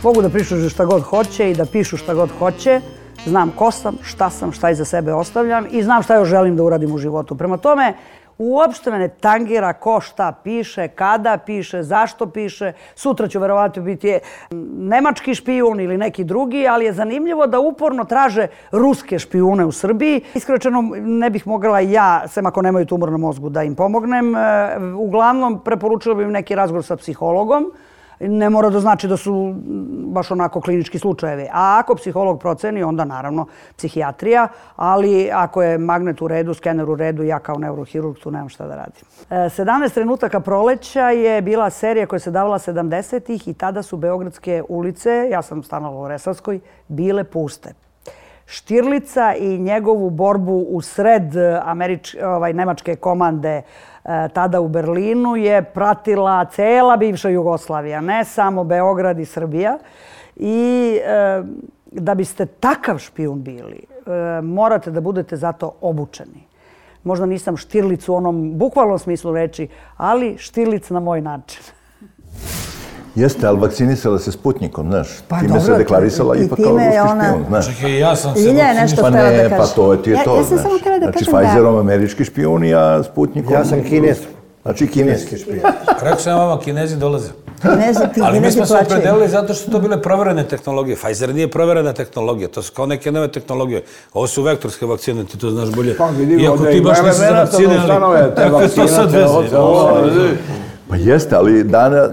Mogu da priču šta god hoće i da pišu šta god hoće. Znam ko sam, šta iza sebe ostavljam i znam šta još želim da uradim u životu. Prema tome, uopšte me ne tangira ko šta piše, kada piše, zašto piše. Sutra ću verovatno biti nemački špijun ili neki drugi, ali je zanimljivo da uporno traže ruske špijune u Srbiji. Iskreno rečeno, ne bih mogla ja, sem ako nemaju tumor na mozgu, da im pomognem. Uglavnom, preporučila bih im neki razgovor sa psihologom. Ne mora da znači da su baš onako klinički slučajevi. A ako psiholog proceni, onda naravno psihijatrija, ali ako je magnet u redu, skener u redu, ja kao neurohirurg tu nemam šta da radim. 17 trenutaka proleća je bila serija koja se davala 70-ih i tada su beogradske ulice, ja sam stanovala u Resavskoj, bile puste. Štirlica i njegovu borbu u sred nemačke komande tada u Berlinu je pratila cela bivša Jugoslavija, ne samo Beograd i Srbija. I da biste takav špijun bili, morate da budete zato obučeni. Možda nisam Štirlic u onom bukvalnom smislu reči, ali Štirlic na moj način. Jeste, ali vakcinisala se Sputnikom, znaš. Time se deklarisala ipak kao ruski špijun, znaš. Čekaj, ja sam se vakcinisala. Pa ne, pa to ti je to, znaš. Znači, Pfizerom američki špijun, a Sputnikom... Ja sam Kinez. Znači, kineski špijun. Rekao sam vama, Kinezi dolaze. Kinezi Ali mi smo se opredelili zato što su to bile proverene tehnologije. Pfizer nije proverena tehnologija, to su kao neke nove tehnologije. Ovo su vektorske vakcine, ti to znaš bolje. Iako ti baš nisi za vakcine, ali kakve to sad veze? Pa jeste, ali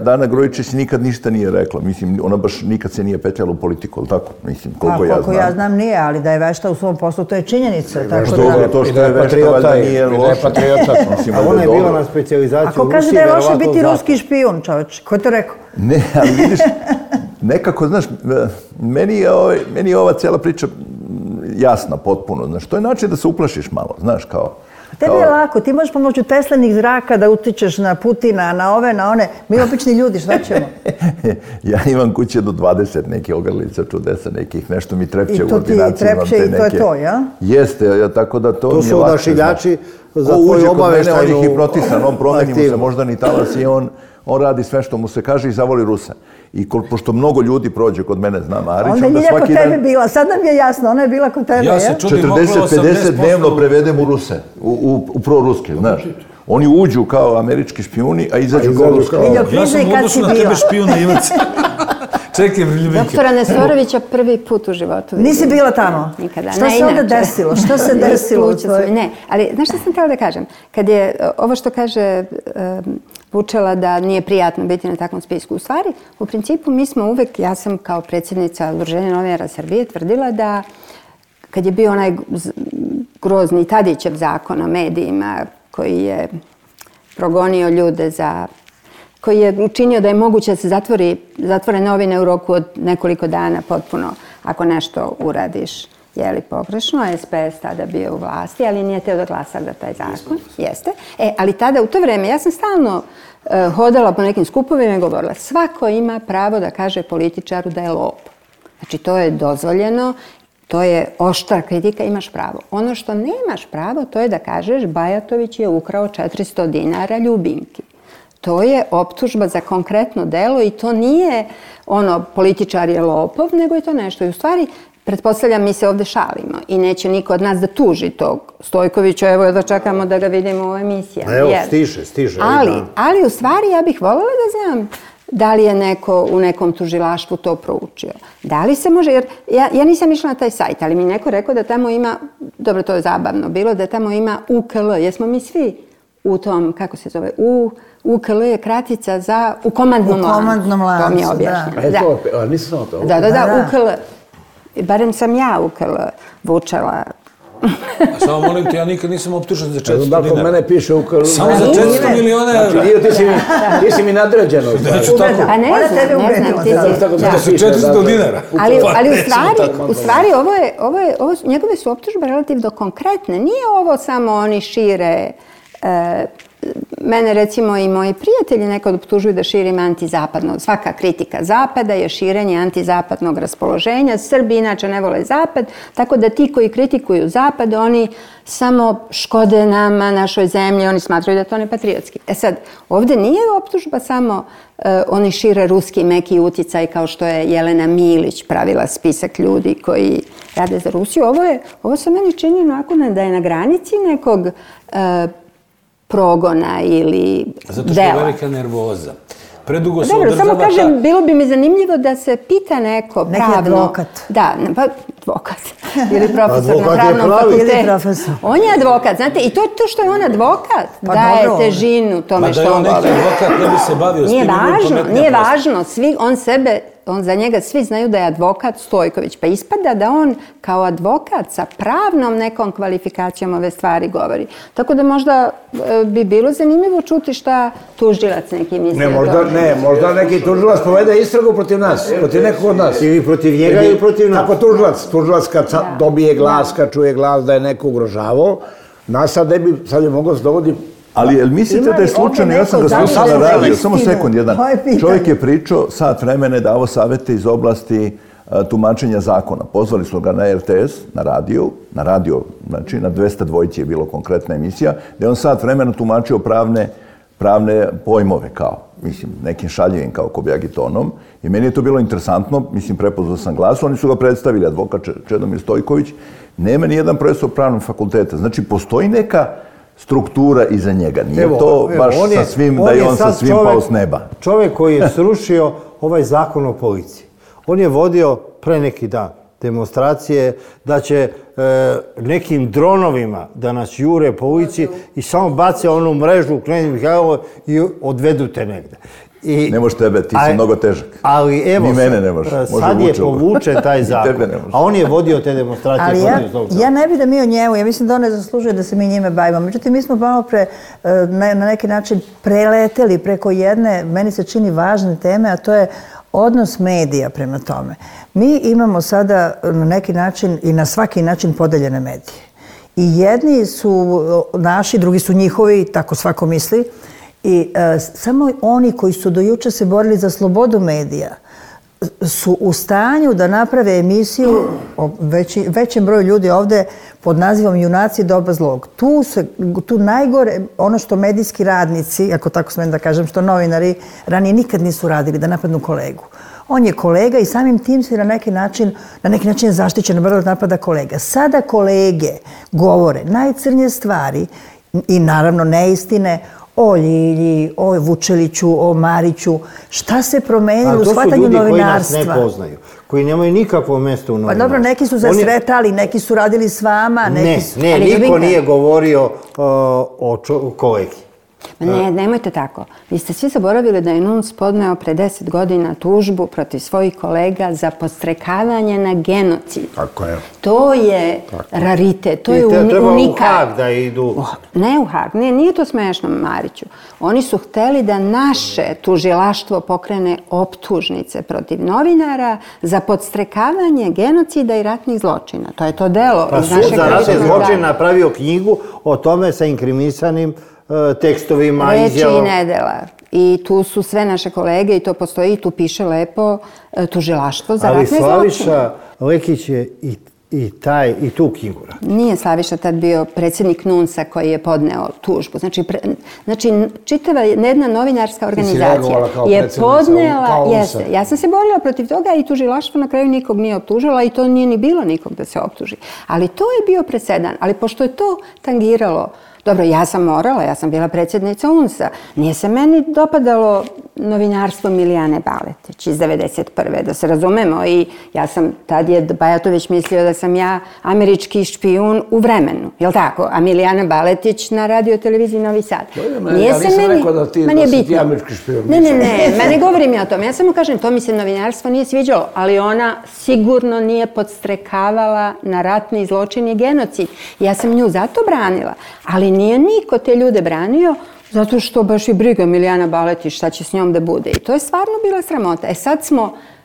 Dana Grujičić nikad ništa nije rekla. Mislim, ona baš nikad se nije petljala u politiku, ali tako? Mislim, koliko ja znam. Koliko ja znam nije, ali da je vešta u svom poslu, to je činjenica. To što je vešta, valjda nije loše. A ona je bila na specijalizaciju u Rusiji. Ako kaže da je loše biti ruski špijun, čoveč, ko je to rekao? Ne, ali vidiš, nekako, znaš, meni je ova cijela priča jasna potpuno. Znaš, to je način da se uplašiš malo, znaš, kao... Tebi je lako, ti možeš pomoću Teslinih zraka da utičeš na Putina, na ove, na one. Mi obični ljudi, šta ćemo? Ja imam kuće do 20 neke ogrlica čudesa, nekih, nešto mi trepće u ordinaciji. I to ti trepće i to je to, ja? Jeste, tako da to mi je lakše. To su odašiljači za tvoju obaveštajnu aktivnost. On ih i protisan, on promeni mu se moždani talas i on radi sve što mu se kaže i zavoli Rusa. I pošto mnogo ljudi prođe kod mene, znam Arić, onda je kod tebe bila, sad nam je jasno, ona je bila kod tebe, ja? 40-50 dnevno prevedem u Ruse, u proruske, znaš. Oni uđu kao američki špijuni, a izađu kao ruski. Ja sam u odnosu na tebe špijuna Ivac. Čekaj, Ljubinke. Doktora Nesorovića prvi put u životu. Nisi bila tamo? Nikada. Šta se onda desilo? Šta se desilo? Ne, ali znaš što sam htjela da kažem? Kad je ovo što kaže Vučela da nije prijatno biti na takvom spisku. U stvari, u principu mi smo uvek, ja sam kao predsjednica Udruženja novinara Srbije tvrdila da kad je bio onaj grozni Tadićev zakon o medijima koji je progonio ljude koji je učinio da je moguće da se zatvore novine u roku od nekoliko dana potpuno ako nešto uradiš pogrešno. SPS tada bio u vlasti, ali nije teo da glasa za taj zakon. Jeste. Ali tada, u to vreme, ja sam stalno hodala po nekim skupovima i govorila svako ima pravo da kaže političaru da je lopov. Znači, to je dozvoljeno, to je oštra kritika, imaš pravo. Ono što nemaš pravo, to je da kažeš Bajatović je ukrao 400 dinara Ljubinki. To je optužba za konkretno delo i to nije političar je lopov, nego je to nešto. I u stvari, pretpostavljam, mi se ovdje šalimo i neće niko od nas da tuži tog Stojkovića. Evo da čekamo da ga vidimo u emisijama. Evo, stiže. Ali u stvari ja bih voljela da znam da li je neko u nekom tužilaštvu to proučio. Da li se može, jer ja nisam išla na taj sajt, ali mi neko rekao da tamo ima, dobro, to je zabavno bilo, da tamo ima UKL. Jesmo mi svi u tom, kako se zove, UKL je kratica za u komandnom lancu. U komandnom lancu, to mi je objašnjeno. Nisam to. Da, UKL. Barem sam ja UKL Vučela A samo molim te, ja nikad nisam optužen za 400 dinara. Kod mene piše u Karlu. Samo za 400 miliona evra. Znači, ti si mi nadređeno. A ne znam, ti si... Da su 400 dinara. Ali u stvari njegove su optužbe relativno konkretne. Nije ovo samo oni šire... Mene recimo i moji prijatelji nekad optužuju da širim antizapadno. Svaka kritika Zapada je širenje antizapadnog raspoloženja. Srbi inače ne vole Zapad, tako da ti koji kritikuju Zapad, oni samo škode nama, našoj zemlji, oni smatraju da je to nepatriotski. Sad, ovdje nije optužba samo oni šire ruski meki uticaj kao što je Jelena Milić pravila spisak ljudi koji rade za Rusiju. Ovo se meni čini onako da je na granici nekog progona ili dela. Zato što je velika nervoza. Predugo se Dobro, održava samo kažem, bilo bi mi zanimljivo da se pita neko pravno... Neki advokat. Da, pa advokat. Ili profesor na pravnom fakultetu. On je advokat, znate, i to što je on advokat daje težinu tome što on govori. Ma da je on neki advokat, ne bi se bavio s tim. Nije važno, za njega svi znaju da je advokat Stojković, pa ispada da on kao advokat sa pravnom nekom kvalifikacijom ove stvari govori. Tako da možda bi bilo zanimljivo čuti šta tužilac neki misli. Možda neki tužilac povede istragu protiv nas, protiv nekog od nas. Ili protiv njega ili protiv nas. Kako tužilac kad dobije glas, kad čuje glas da je neko ugrožavao, nas sad bi mogao se dovodi. Ali jel mislite da je slučajno, ja sam ga slušao na radiju, samo sekund jedan, čovjek je pričao sat vremena, davo savjete iz oblasti tumačenja zakona. Pozvali su ga na RTS, na radio, znači na 202 je bilo konkretna emisija, gdje on sat vremena tumačio pravne pojmove kao, mislim, nekim šaljivim kao kobjagitonom. I meni je to bilo interesantno, mislim, prepoznao sam glas, oni su ga predstavili, advokat Čedomir Stojković, nema ni jedan profesor pravnog fakulteta. Znači, postoji neka struktura iza njega. Nije to baš sa svim, da je on sa svim pao s neba. Čovjek koji je srušio ovaj zakon o policiji. On je vodio pre neki dan demonstracije da će nekim dronovima da nas jure po ulici i samo bace onu mrežu u Knez Mihajlovo i odvedu te negde. Ne može tebe, ti si mnogo težak. Ali evo, ni mene ne može. Sad je povučen taj zakon, a on je vodio te demonstracije. Ali ja ne bi da mi o njemu, ja mislim da on ne zaslužuje da se mi njime bavimo. Međutim, mi smo malo na neki način preleteli preko jedne, meni se čini važne teme, a to je odnos medija prema tome. Mi imamo sada na neki način i na svaki način podeljene medije. I jedni su naši, drugi su njihovi, tako svako misli. I samo oni koji su do juče se borili za slobodu medija su u stanju da naprave emisiju o većem broju ljudi ovdje pod nazivom Junaci doba zlog. Tu najgore, ono što medijski radnici, ako tako smijem da kažem, što novinari ranije nikad nisu radili, da napadnu kolegu. On je kolega i samim tim se na neki način je zaštićen, brzo napada kolega. Sada kolege govore najcrnje stvari i naravno neistine o Ljilji, o Vučeliću, o Mariću. Šta se promenilo u shvatanju novinarstva? To su ljudi koji nas ne poznaju, koji nemaju nikakvo mjesto u novinarstvu. Pa dobro, neki su zasretali, neki su radili s vama. Niko nije govorio o kolegi. Ne, nemojte tako. Vi ste svi zaboravili da je NUNS podneo pre 10 godina tužbu protiv svojih kolega za podstrekavanje na genocid. Tako je. To je raritet, to je unikat. Treba u Hag da idu. Ne u Hag, nije to smešno, Mariću. Oni su hteli da naše tužilaštvo pokrene optužnice protiv novinara za podstrekavanje genocida i ratnih zločina. To je to delo. Pa sud za ratne zločine napravio knjigu o tome sa inkrimisanim tekstovima, izjavom. Reči i nedela. I tu su sve naše kolege i to postoji i tu piše lepo tužilaštvo za ratne zločine. Ali Slaviša Lekić je i tu knjigu radio. Nije Slaviša tad bio predsjednik NUNS-a koji je podneo tužbu. Znači čitava jedna novinarska organizacija je podnela... Jeste, ja sam se borila protiv toga i tužilaštvo na kraju nikog nije optužila i to nije ni bilo nikog da se optuži. Ali to je bio presedan. Ali pošto je to tangiralo Dobro, ja sam morala, ja sam bila predsjednica UNS-a. Nije se meni dopadalo novinarstvo Milijane Baletić iz 91. da se razumemo. I ja sam, tad je Bajatović mislio da sam ja američki špijun u Vremenu. Jel tako? A Milijana Baletić na radio televiziji Novi Sad. Ja nisam rekao da si ti američki špijun. Ne, ne govorim ja o tome. Ja samo kažem, to mi se novinarstvo nije sviđalo, ali ona sigurno nije podstrekavala na ratni zločin i genocid. Ja sam nju zato branila, ali nije niko te ljude branio zato što baš i briga Milijana Baletić šta će s njom da bude. I to je stvarno bila sramota.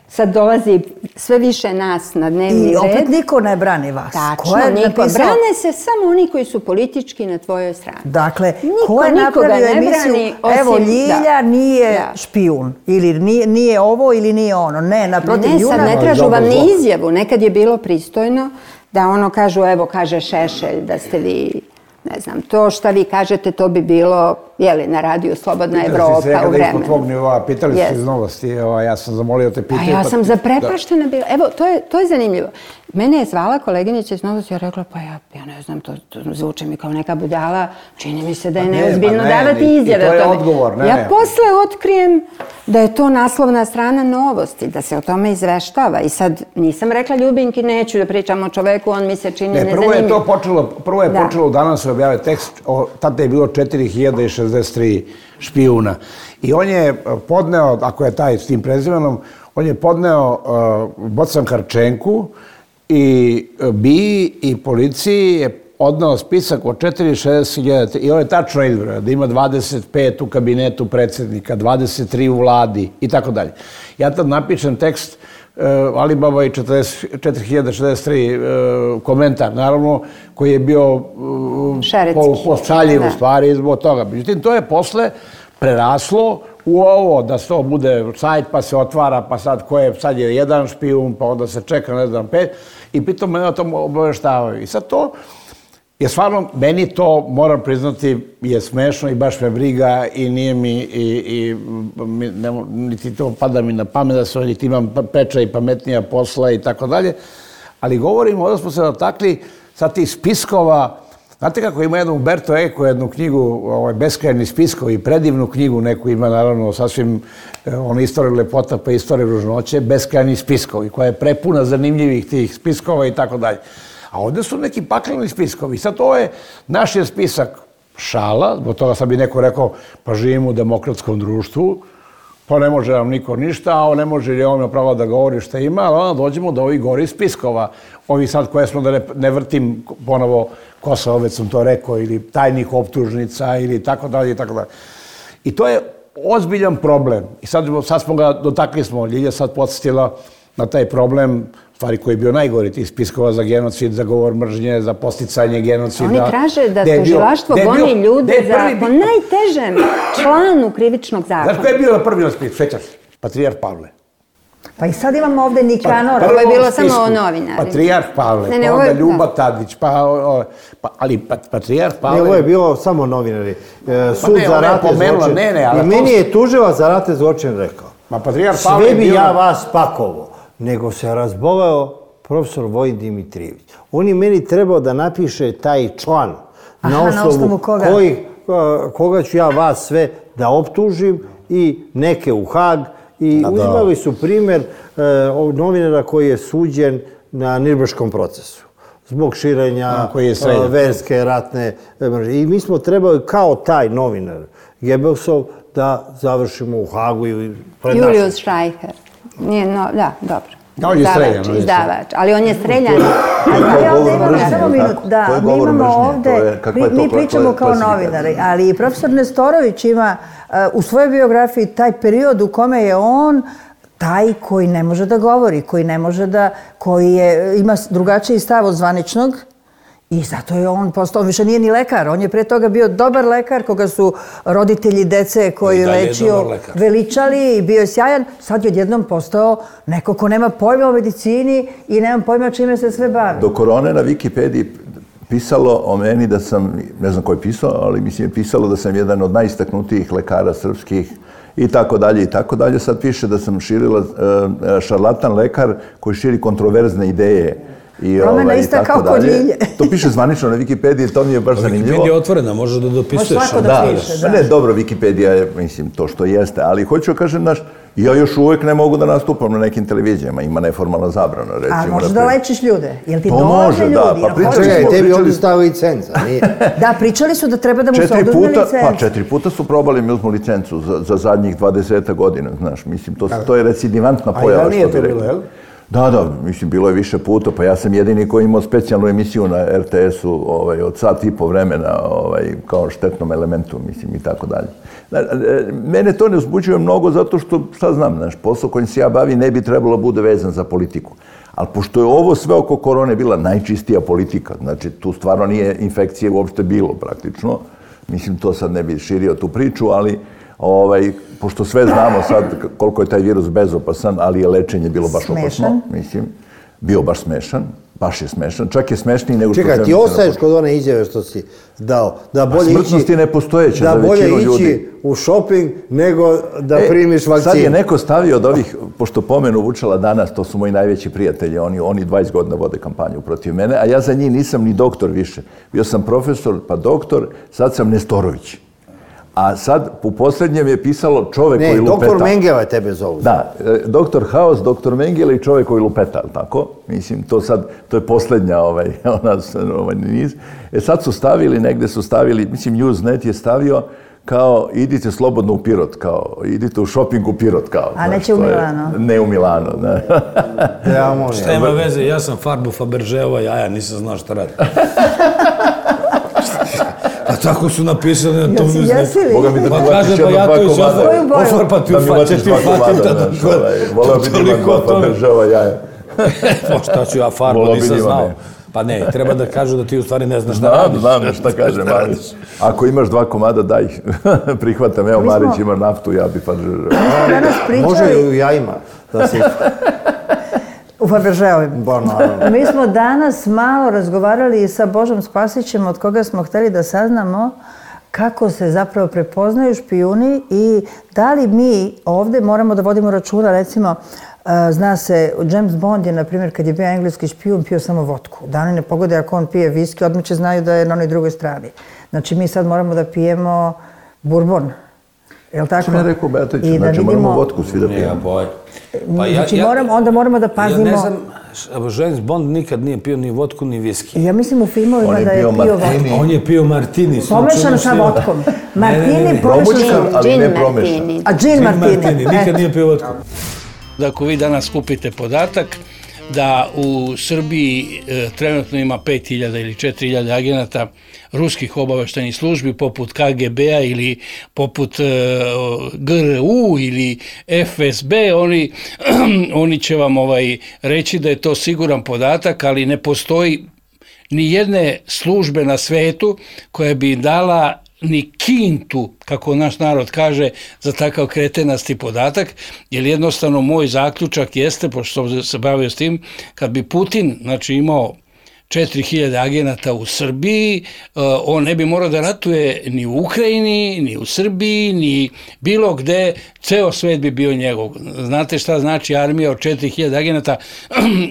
Sad dolazi sve više nas na dnevni red. I opet niko ne brani vas. Tačno, niko. Brane se samo oni koji su politički na tvojoj strani. Dakle, ko je napravio emisiju, evo Ljilja nije špijun, ili nije ovo ili nije ono. Ne, naprotiv Ljuna. Ne, sad ne tražu vam ni izjavu. Nekad je bilo pristojno da ono kažu, evo kaže Šešelj da ste vi, ne znam, to šta vi kažete, to bi bilo, jeli, na radiju Slobodna Evropa u Vremenu. Pitali ste se tvog nivoa, pitali ste iz Novosti, ja sam zamolio te pitanje. Ja sam zaprepaštena bila. Evo, to je zanimljivo. Mene je zvala koleginica iz Novosti, ja rekla, pa ja ne znam, to zvuči mi kao neka budala, čini mi se da je neozbiljno davati izjave o tome. To je odgovor, ja posle otkrijem da je to naslovna strana Novosti, da se o tome izveštava. I sad nisam rekla Ljubinki, neću da pričam o čoveku, on mi se čini nezanimljiv. Prvo je počelo danas se objavio tekst, tada je bilo 4063 špijuna. I on je podneo, ako je taj s tim prezimenom, on je podneo Bocan Harčenku i BIA i policiji je odneo spisak od 460.000 i on je tačno izbrojao da ima 25 u kabinetu predsjednika, 23 u vladi i tako dalje. Ja tad napišem tekst Alibaba i 4063 komentar, naravno, koji je bio pošaljiv u stvari zbog toga. Međutim, to je posle preraslo u ovo, da to bude sajt, pa se otvara, pa sad je jedan špijun, pa onda se čeka, ne znam, 5, i pritom mene o tom obaveštavaju. I sad to je stvarno, meni to, moram priznati, je smešno i baš me briga i nije mi, niti to pada mi na pamet da se niti imam preča i pametnija posla i tako dalje, ali govorimo, ovdje smo se dotakli sa tih spiskova. Znate kako ima jednu Umberto Eco, jednu knjigu, Beskrajni spiskovi, predivnu knjigu, neku ima naravno sasvim istoriju lepota pa istoriju ružnoće, Beskrajni spiskovi, koja je prepuna zanimljivih tih spiskova i tako dalje. A ovdje su neki pakleni spiskovi. Sad ovo je, naš je spisak šala, zbog toga sad bi neko rekao, pa živimo u demokratskom društvu, pa ne može nam niko ništa, a ne može li on pravo da govori šta ima, ali onda dođemo do ovih gori spiskova. Ovi sad koje smo, da ne vrtim ponovo Kosovo, već sam to rekao, ili tajnih optužnica, ili tako dalje, i tako dalje. I to je ozbiljan problem. I sad smo ga dotakli smo, Ljilja sad podsjetila na taj problem, stvari koji je bio najgori, tih spiskova za genocid, za govor mržnje, za posticanje genocida. Oni traže da tužilaštvo goni ljude po najtežem članu krivičnog zakona. Znaš ko je bio na prvi spisku? Svećaš? Patrijarh Pavle. Pa i sad imamo ovde Nikanora. Ovo je bilo samo o novinarima. Patrijarh Pavle, pa onda Ljuba Tadić, ali Patrijarh Pavle... Ne, ovo je bilo samo novinari. Sud za ratne zločine. I meni je tužilac za ratne zločine rekao. Sve bi ja vas pakovo. Nego se razboleo profesor Vojin Dimitrijević. On je meni trebao da napiše taj član na osnovu koga ću ja vas sve da optužim i neke u Hag. I uzimali su primjer novinara koji je suđen na Nirnberškom procesu zbog širenja verske ratne mržnje. I mi smo trebali kao taj novinar Gebelsov da završimo u Hagu i pred našim. Julius Streicher. Da, dobro. On je streljan. Izdavač, ali on je streljan. Samo minut, da, mi imamo ovde, mi pričamo kao novinari, ali i profesor Nestorović ima u svojoj biografiji taj period u kome je on taj koji ne može da govori, koji ima drugačiji stav od zvaničnog. I zato je on postao, više nije ni lekar, on je pre toga bio dobar lekar koga su roditelji dece koji je lečio veličali i bio je sjajan. Sad je odjednom postao neko ko nema pojma o medicini i nema pojma čime se sve bavi. Do korone na Wikipediji pisalo o meni da sam, ne znam ko je pisao, ali mislim je pisalo da sam jedan od najistaknutijih lekara srpskih i tako dalje i tako dalje. Sad piše da sam šarlatan lekar koji širi kontroverzne ideje Promena ista kao kod Ljilje. To piše zvanično na Wikipediji, to mi je baš zanimljivo. Wikipedija je otvorena, možeš da dopisuješ. Može svako da piše, da. Ne, dobro, Wikipedija je, mislim, to što jeste, ali hoću da kažem, ja još uvijek ne mogu da nastupam na nekim televizijama, ima neformalna zabrana, recimo. A možeš da lečiš ljude? Jel ti To dolaze može, ljudi? da, pa Čekaj, tebi ovdje stavi licenca, nije? Da, pričali su da treba da mu se oduzme licenca. Pa 4 puta su probali mi uzmu licencu za zadnjih 20 godina, znaš, mislim, to je recidivantna pojava. A ja nije to bilo, jel? Da, mislim, bilo je više puta, pa ja sam jedini koji imao specijalnu emisiju na RTS-u od sat i po vremena, kao štetnom elementu, mislim, i tako dalje. Mene to ne uzbuđuje mnogo zato što, šta znam, znaš, posao kojim se ja bavim ne bi trebalo bude vezan za politiku. Ali pošto je ovo sve oko korone bila najčistija politika, znači tu stvarno nije infekcije uopšte bilo praktično, mislim, to sad ne bi širio tu priču, ali pošto sve znamo sad koliko je taj virus bezopasan, ali je lečenje bilo baš opasno, mislim, bio baš smešan, baš je smešan, čak je smešniji nego što... Čekaj, ti ostaješ kod one izjave što si dao, da bolje smrtnost je nepostojeća za većinu ljudi. Da bolje ići u shopping nego da primiš vakcinu. Sad je neko stavio od ovih, pošto pomenu Vučela danas, to su moji najveći prijatelji, oni 20 godina vode kampanju protiv mene, a ja za njih nisam ni doktor više. Bio sam profesor, pa doktor, sad sam Nestorović. A sad, u posljednjem je pisalo čovek koji lupeta. Ne, doktor Mengele tebe zovu. Da, doktor Haos, doktor Mengele i čovek koji lupeta, tako? Mislim, to je posljednja niz. Sad su stavili, negde su stavili, mislim, Newsnet je stavio kao idite slobodno u Pirot, kao idite u shopping u Pirot, kao. A neće u Milano? Ne u Milano, ne. Šta ima veze, ja sam farbu Fabergeova jaja, nisam znao šta radi. Pa tako su napisali na tom Newsnetu. Boga mi da mi vatiš jedno dva komada. Ofarpati u fatim. Voleo bi da imam dva Fabergeova jaja. Pa šta ću ja farbu, nisam znao. Pa ne, treba da kažu da ti u stvari ne znaš šta radiš. Znam šta kažem, ali ako imaš 2 komada, daj ih. Prihvatam, evo Marić ima naftu, ja bi Fabergeova. Može i u jajima da si... U Fabergeovima. Mi smo danas malo razgovarali sa Božom Spasićem, od koga smo hteli da saznamo kako se zapravo prepoznaju špijuni i da li mi ovdje moramo da vodimo računa, recimo, zna se, James Bond je, na primjer, kad je bio engleski špijun, pio samo vodku. Da oni ne pogode ako on pije viski, odmah će znaju da je na onoj drugoj strani. Znači, mi sad moramo da pijemo bourbon. Je li tako? Što mi je rekao Beatović, znači moramo vodku svi da pijemo. Znači, onda moramo da pazimo... Ja ne znam, James Bond nikad nije pio ni vodku, ni viski. Ja mislim u filmovima da je pio vodku. On je pio martini. Pomešan sa vodkom. Martini pomešan, ali ne promešan. A džin martini. Nikad nije pio vodku. Da ako vi danas skupite podatak da u Srbiji trenutno ima 5000 ili 4000 agenata ruskih obaveštajnih službi poput KGB-a ili poput GRU ili FSB, oni će vam reći da je to siguran podatak, ali ne postoji ni jedne službe na svetu koja bi dala ni kintu, kako naš narod kaže, za takav kretenasti podatak, jer jednostavno moj zaključak jeste, pošto sam se bavio s tim, kad bi Putin, znači, imao 4000 agenata u Srbiji, on ne bi morao da ratuje ni u Ukrajini, ni u Srbiji, ni bilo gde, ceo svet bi bio njegov. Znate šta znači armija od 4000 agenata?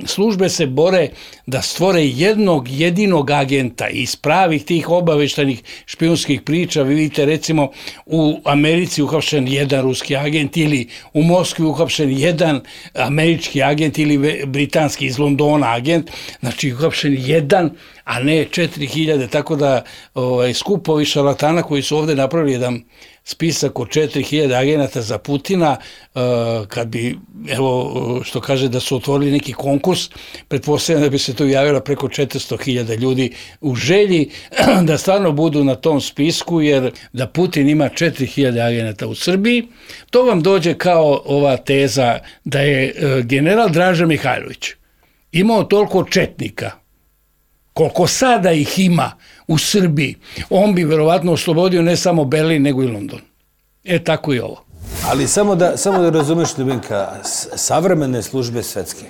Službe se bore da stvore jednog jedinog agenta iz pravih tih obaveštajnih špijunskih priča. Vi vidite, recimo, u Americi uhapšen jedan ruski agent ili u Moskvi uhapšen jedan američki agent ili britanski iz Londona agent, znači uhapšen jedan, a ne 4000, tako da skupovi šarlatana koji su ovdje napravili jedan spisak od 4000 agenata za Putina, kad bi, evo, što kaže da su otvorili neki konkurs, pretpostavljam da bi se to javilo preko 400.000 ljudi u želji da stvarno budu na tom spisku, jer da Putin ima 4000 agenata u Srbiji, to vam dođe kao ova teza da je general Draža Mihajlović imao toliko četnika, koliko sada ih ima u Srbiji, on bi verovatno oslobodio ne samo Berlin, nego i London. Tako i ovo. Ali samo da razumeš, Ljubinka, savremene službe svetske.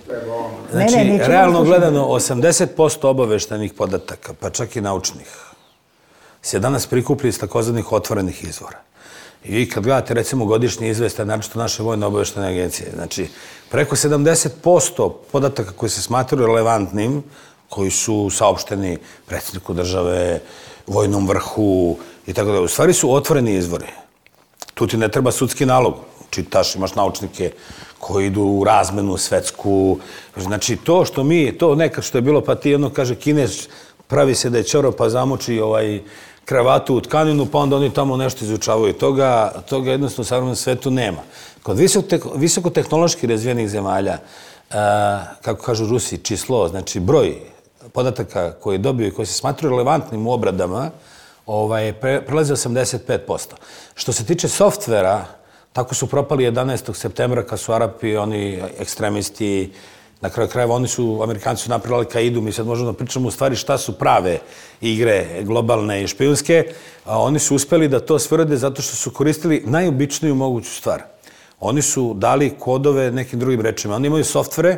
Znači, realno gledano, 80% obaveštajnih podataka, pa čak i naučnih, se danas prikuplji iz takozvanih otvorenih izvora. I vi kad gledate recimo godišnji izveštaj, naročito naše vojne obavještajne agencije, znači preko 70% podataka koji se smatraju relevantnim, koji su saopšteni predsjedniku države, vojnom vrhu i tako da, u stvari su otvoreni izvori. Tu ti ne treba sudski nalog. Čitaš, imaš naučnike koji idu u razmenu svetsku. Znači, to što to nekad što je bilo, pa ti jedno kaže Kinez, pravi se da je ćoro pa zamoči kravatu u tkaninu, pa onda oni tamo nešto izučavaju. Toga jednostavno u savremenom svetu nema. Kod visokotehnološki razvijenih zemalja, kako kažu Rusi, číslo, znači broj podataka koji dobiju i koji se smatruju relevantnim u obradama, prelazi 85%. Što se tiče softvera, tako su propali 11. septembra kad su Arapi, oni ekstremisti, na kraju krajeva Amerikanci su napravili Al-Kaidu, mi sad možemo da pričamo u stvari šta su prave igre globalne i špijunske, a oni su uspeli da to sve urade zato što su koristili najobičniju moguću stvar. Oni su dali kodove nekim drugim rečima. Oni imaju softvere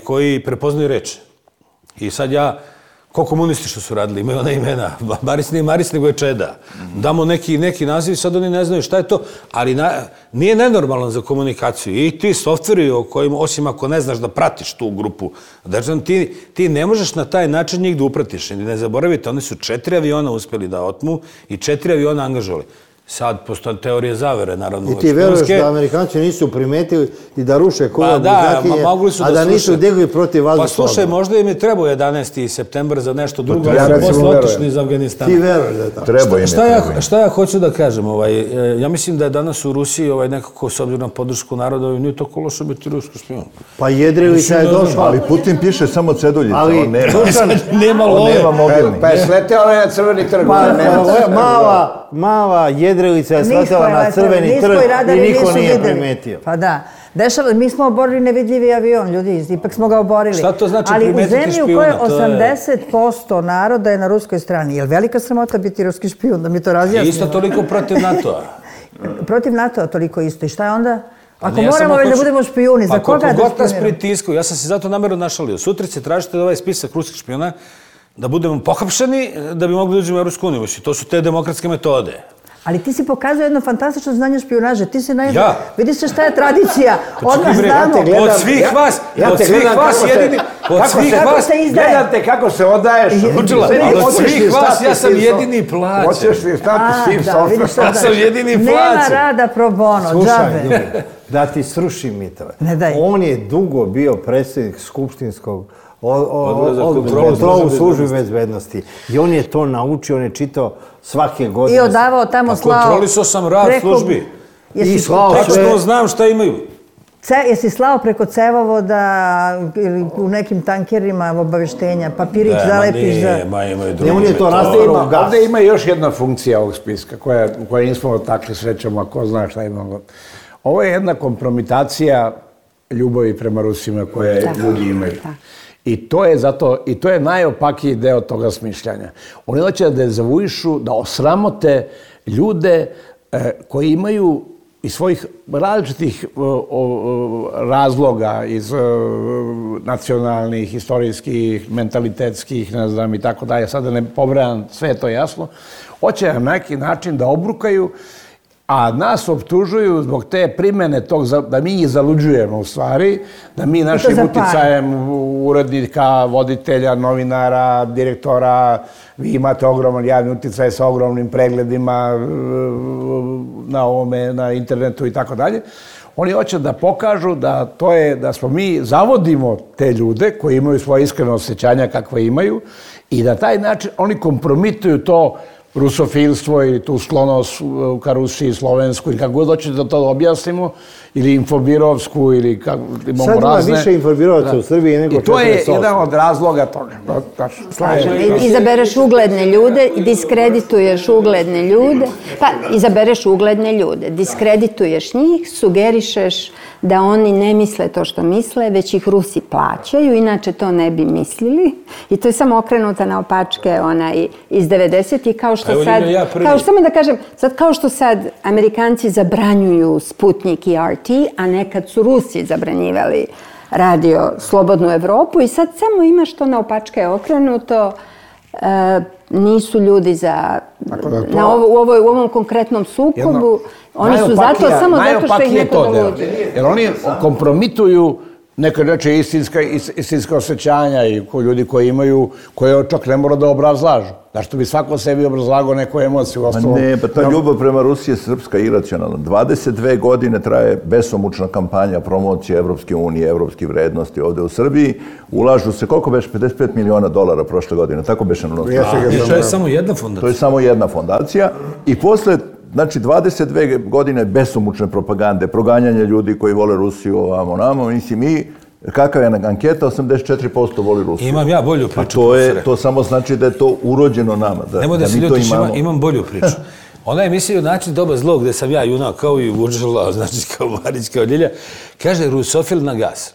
koji prepoznaju reč. I sad ko komunisti što su radili, imaju ona imena, Maris nego je Čeda. Damo neki naziv i sad oni ne znaju šta je to, ali nije nenormalno za komunikaciju. I ti softveri o kojima, osim ako ne znaš da pratiš tu grupu, ti ne možeš na taj način njih da upratiš. Ne zaboravite, oni su 4 aviona uspeli da otmu i 4 aviona angažovali. Sad postoje teorije zavere, naravno. I ti veruješ da Amerikanci nisu primetili i da ruše Kuba Buzakinje, a da nisu digli protiv vazdušnog? Pa slušaj, možda im je trebao 11. septembar za nešto drugo, ali su posle otišli iz Afganistana. Ti veruješ da je tako? Treba im je. Šta ja hoću da kažem? Ja mislim da je danas u Rusiji nekako, s obzirom na podršku naroda, nije to loše biti ruski špijun. Pa Jedrilica je došla. Ali Putin piše samo ceduljica, on nema mobilni. Pa je sleteo na Crveni trg. Mala Jedrilica je sletela na Crveni trg i niko nije primetio. Pa da. Mi smo oborili nevidljivi avion, ljudi, ipak smo ga oborili. Šta to znači primetiti špijuna? Ali u zemlji u kojoj 80% naroda je na ruskoj strani. Je li velika sramota biti ruski špijun, da mi to razjasnimo? Isto toliko protiv NATO-a. Protiv NATO-a toliko isto. I šta je onda? Ako moramo već da budemo špijuni, za koga da špijuniramo? Pa koliko god nas pritiskaju, ja sam se zato namjerno našalio. Sutra će tražiti ovaj spisak ruskih špijuna da budemo pohapšeni da bi mogli da uđemo u Evropsku uniju. To su te demokratske metode. Ali ti si pokazao jedno fantastično znanje špijunaže. Ti si vidi se šta je tradicija. Odmah znamo. Od svih vas jedini... Gledate kako se odaješ. Od svih vas ja sam jedini plaćen. Hoćeš li stati s tim softom? Ja sam jedini plaćen. Nema rada pro bono, džabe. Da ti srušim mitove. Ne daj. On je dugo bio predsjednik skupštinskog kontrolu službi bezbednosti. I on je to naučio, on je čitao svake godine. I odavao tamo slao... Kontrolisao sam rad službi. I slao sve... Tačno znam šta imaju. Jesi slao preko cevovoda ili u nekim tankerima obaveštenja, papirić zalepiš za... On je to rastavio u gas. Ovdje ima još jedna funkcija ovog spiska koja nismo takli srećemo, a ko zna šta imamo. Ovo je jedna kompromitacija ljubavi prema Rusima koje ljudi imaju. I to je najopakiji deo toga smišljanja. Oni hoće da dezavuišu, da osramote ljude koji imaju iz svojih različitih razloga, iz nacionalnih, istorijskih, mentalitetskih, ne znam i tako dalje, sad da ne pobrajam, sve je to jasno, hoće na neki način da obrukaju, a nas optužuju zbog te primene tog, da mi ih zaluđujemo u stvari, da mi našim uticajem urednika, voditelja, novinara, direktora, vi imate ogroman javni uticaj sa ogromnim pregledima na ovome, na internetu i tako dalje. Oni hoće da pokažu da smo mi zavodimo te ljude koji imaju svoje iskrene osjećanja kakve imaju i da taj način oni kompromituju to rusofilstvo ili tu sklonost ka Rusiji, Slovensku ili kako god hoćete da to objasnimo, ili infobirovsku ili imamo razne... Sad ima više infobirovaca u Srbiji nego 48. I to je jedan od razloga toga. Slažem. Izabereš ugledne ljude, diskredituješ ugledne ljude, pa izabereš ugledne ljude, diskredituješ njih, sugerišeš da oni ne misle to što misle, već ih Rusi plaćaju, inače to ne bi mislili. I to je samo okrenuta na opačke iz 90-ih, kao što sad, samo da kažem, kao što sad Amerikanci zabranjuju Sputnik i RT, a nekad su Rusi zabranjivali radio Slobodnu Evropu i sad samo imaš to na opačke okrenuto, nisu ljudi u ovom konkretnom sukobu. Oni su zato samo zato što ih neko dovođe. Jer oni kompromituju neke reče istinska osjećanja i ljudi koji imaju, koje čak ne mora da obrazlažu. Zašto bi svako sebi obrazlagao neku emociju? Ne, pa ta ljubav prema Rusiji je srpska i iracionalna. 22 godine traje besomučna kampanja promocije Evropske unije, evropskih vrednosti ovde u Srbiji. Ulažu se, koliko beše? $55 miliona prošle godine. Tako beše na I to je samo jedna fondacija. To je samo jedna fondacija. I posle, znači, 22 godine besomučne propagande, proganjanja ljudi koji vole Rusiju ovamo namo, mislim kakva je anketa, 84% voli Rusiju. Imam ja bolju priču. To samo znači da je to urođeno nama. Nemoj da se ljutiš, imam bolju priču. Ona emisija Način doba zlo, gde sam ja junak kao i Vuđela, znači kao Marić, kao Ljilja, kaže rusofil na gas.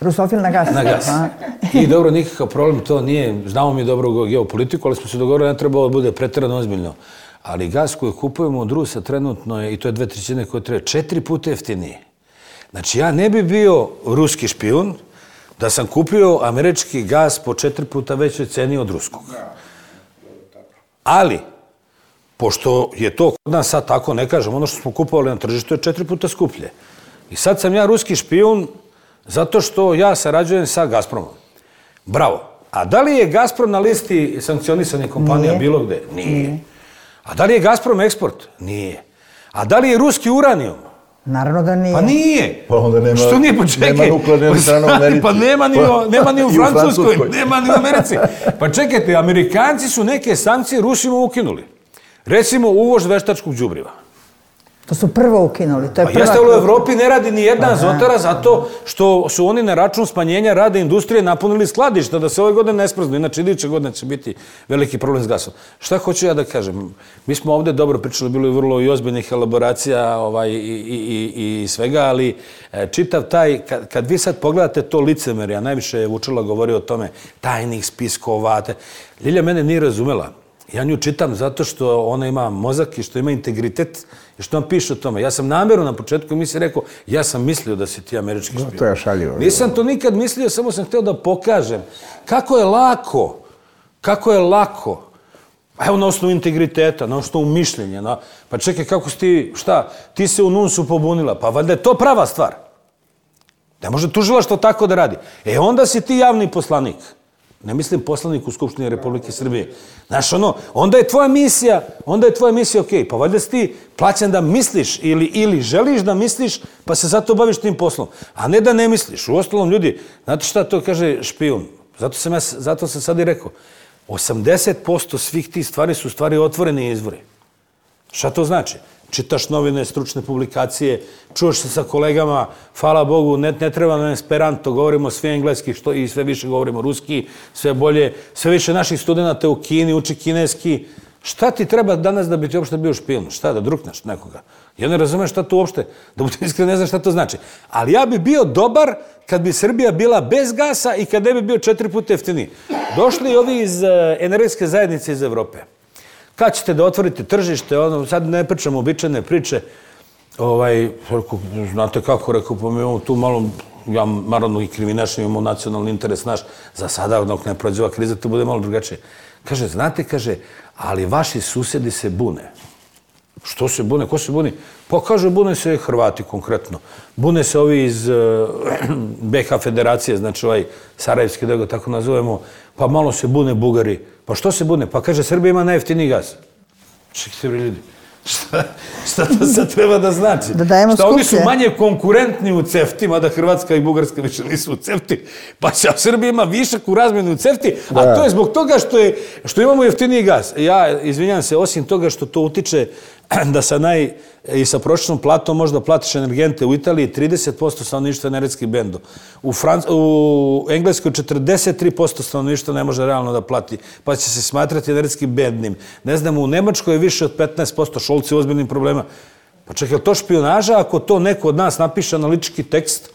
Rusofil na gas. Na gas. I dobro, nikakav problem to nije, znamo mi dobro geopolitiku, ali smo se dogovorili, ne treba da bude preterano ozbiljno. Ali gas koji kupujemo od Rusa trenutno je, i to je 2/3 koje treba, 4 puta jeftinije. Znači, ja ne bi bio ruski špijun da sam kupio američki gas po 4 puta većoj ceni od ruskog. Ali, pošto je to kod nas sad tako, ne kažem, ono što smo kupovali na tržištu je 4 puta skuplje. I sad sam ja ruski špijun zato što ja sarađujem sa Gazpromom. Bravo. A da li je Gazprom na listi sankcionisanih kompanija bilo gde? Nije. A da li je Gazprom eksport? Nije. A da li je ruski uranijum? Naravno da nije. Pa nije. Pa onda nema, što nije, počekaj. Nema nuklearne elektrane u Americi. Pa nema ni u Francuskoj, nema ni u Americi. Pa čekajte, Amerikanci su neke sankcije Rusima ukinuli. Recimo uvoz veštačkog đubriva. To su prvo ukinuli. To je pa jeste, u Evropi ne radi ni jedna azotara zato što su oni na račun smanjenja rada industrije napunili skladišta da se ove godine ne smrznu. Inače, iduće godine će biti veliki problem s gasom. Šta hoću ja da kažem? Mi smo ovde dobro pričali, bilo je vrlo i ozbiljnih elaboracija i svega, ali čitav taj, kad vi sad pogledate to licemerje, a najviše je Vučela govorio o tome, tajnih spiskova, Ljilja mene nije razumela. Ja nju čitam zato što ona ima mozak i što ima integritet i što vam piše o tome. Ja sam namjerno na početku emisije rekao, ja sam mislio da si ti američki špijun. To je šaljivo. Nisam to nikad mislio, samo sam htio da pokažem kako je lako, evo na osnovu integriteta, na osnovu mišljenja. Pa čekaj, kako si ti, ti se u NUNS-u pobunila, pa valjda je to prava stvar. Ne može tužilaštvo tako da radi. Onda si ti javni poslanik. Ne mislim poslanik u Skupštini Republike Srbije. Znaš, onda je tvoja misija, okej, pa valjda si ti plaćen da misliš ili želiš da misliš, pa se zato baviš tim poslom. A ne da ne misliš. U ostalom, ljudi, znate šta to kaže špijun? Zato sam sad i rekao. 80% svih tih stvari su stvari otvoreni izvori. Šta to znači? Čitaš novine, stručne publikacije, čuješ se sa kolegama, hvala Bogu, ne treba nam esperanto, govorimo sve engleski i sve više govorimo ruski, sve bolje, sve više naših studenta u Kini uči kineski. Šta ti treba danas da bi ti uopšte bio špijun? Šta, da drukneš nekoga? Ja ne razumem šta to uopšte, da budem iskren, ne znam šta to znači. Ali ja bi bio dobar kad bi Srbija bila bez gasa i kad ne bi bio 4 puta jeftiniji. Došli ovi iz energetske zajednice iz Evrope. Kad ćete da otvorite tržište, sad ne pričamo običajne priče, znate kako, rekao, pa mi imamo tu malo, ja naravno i kriminašni, imamo nacionalni interes naš, za sada, dok ne prođe ova kriza, to bude malo drugačije. Kaže, znate, ali vaši susedi se bune. Što se bune? Ko se buni? Pa kaže, bune se Hrvati konkretno. Bune se ovi iz BiH federacije, znači Sarajevski, da ga tako nazovemo, pa malo se bune Bugari. Pa što se bune? Pa kaže, Srbija ima najjeftiniji gaz. Čekajte, ljudi. Šta to sad treba da znači? Da dajemo skuplje. Šta oni su manje konkurentni u CEFTI, mada Hrvatska i Bugarska više nisu u CEFTI, pa će Srbija ima višak u razmjenu u CEFTI, a to je zbog toga što imamo jeftiniji gaz. Ja, izvinjam se, osim toga što to utiče da i sa prosječnom platom možda platiš energente. U Italiji 30% stanovništva energetski bendo. U Engleskoj 43% stanovništva ne može realno da plati, pa će se smatrati energetski bednim. Ne znam, u Nemačkoj je više od 15%, Šolci u ozbiljnim problema. Pa čekaj, je to špijunaža ako to neko od nas napiše analitički tekst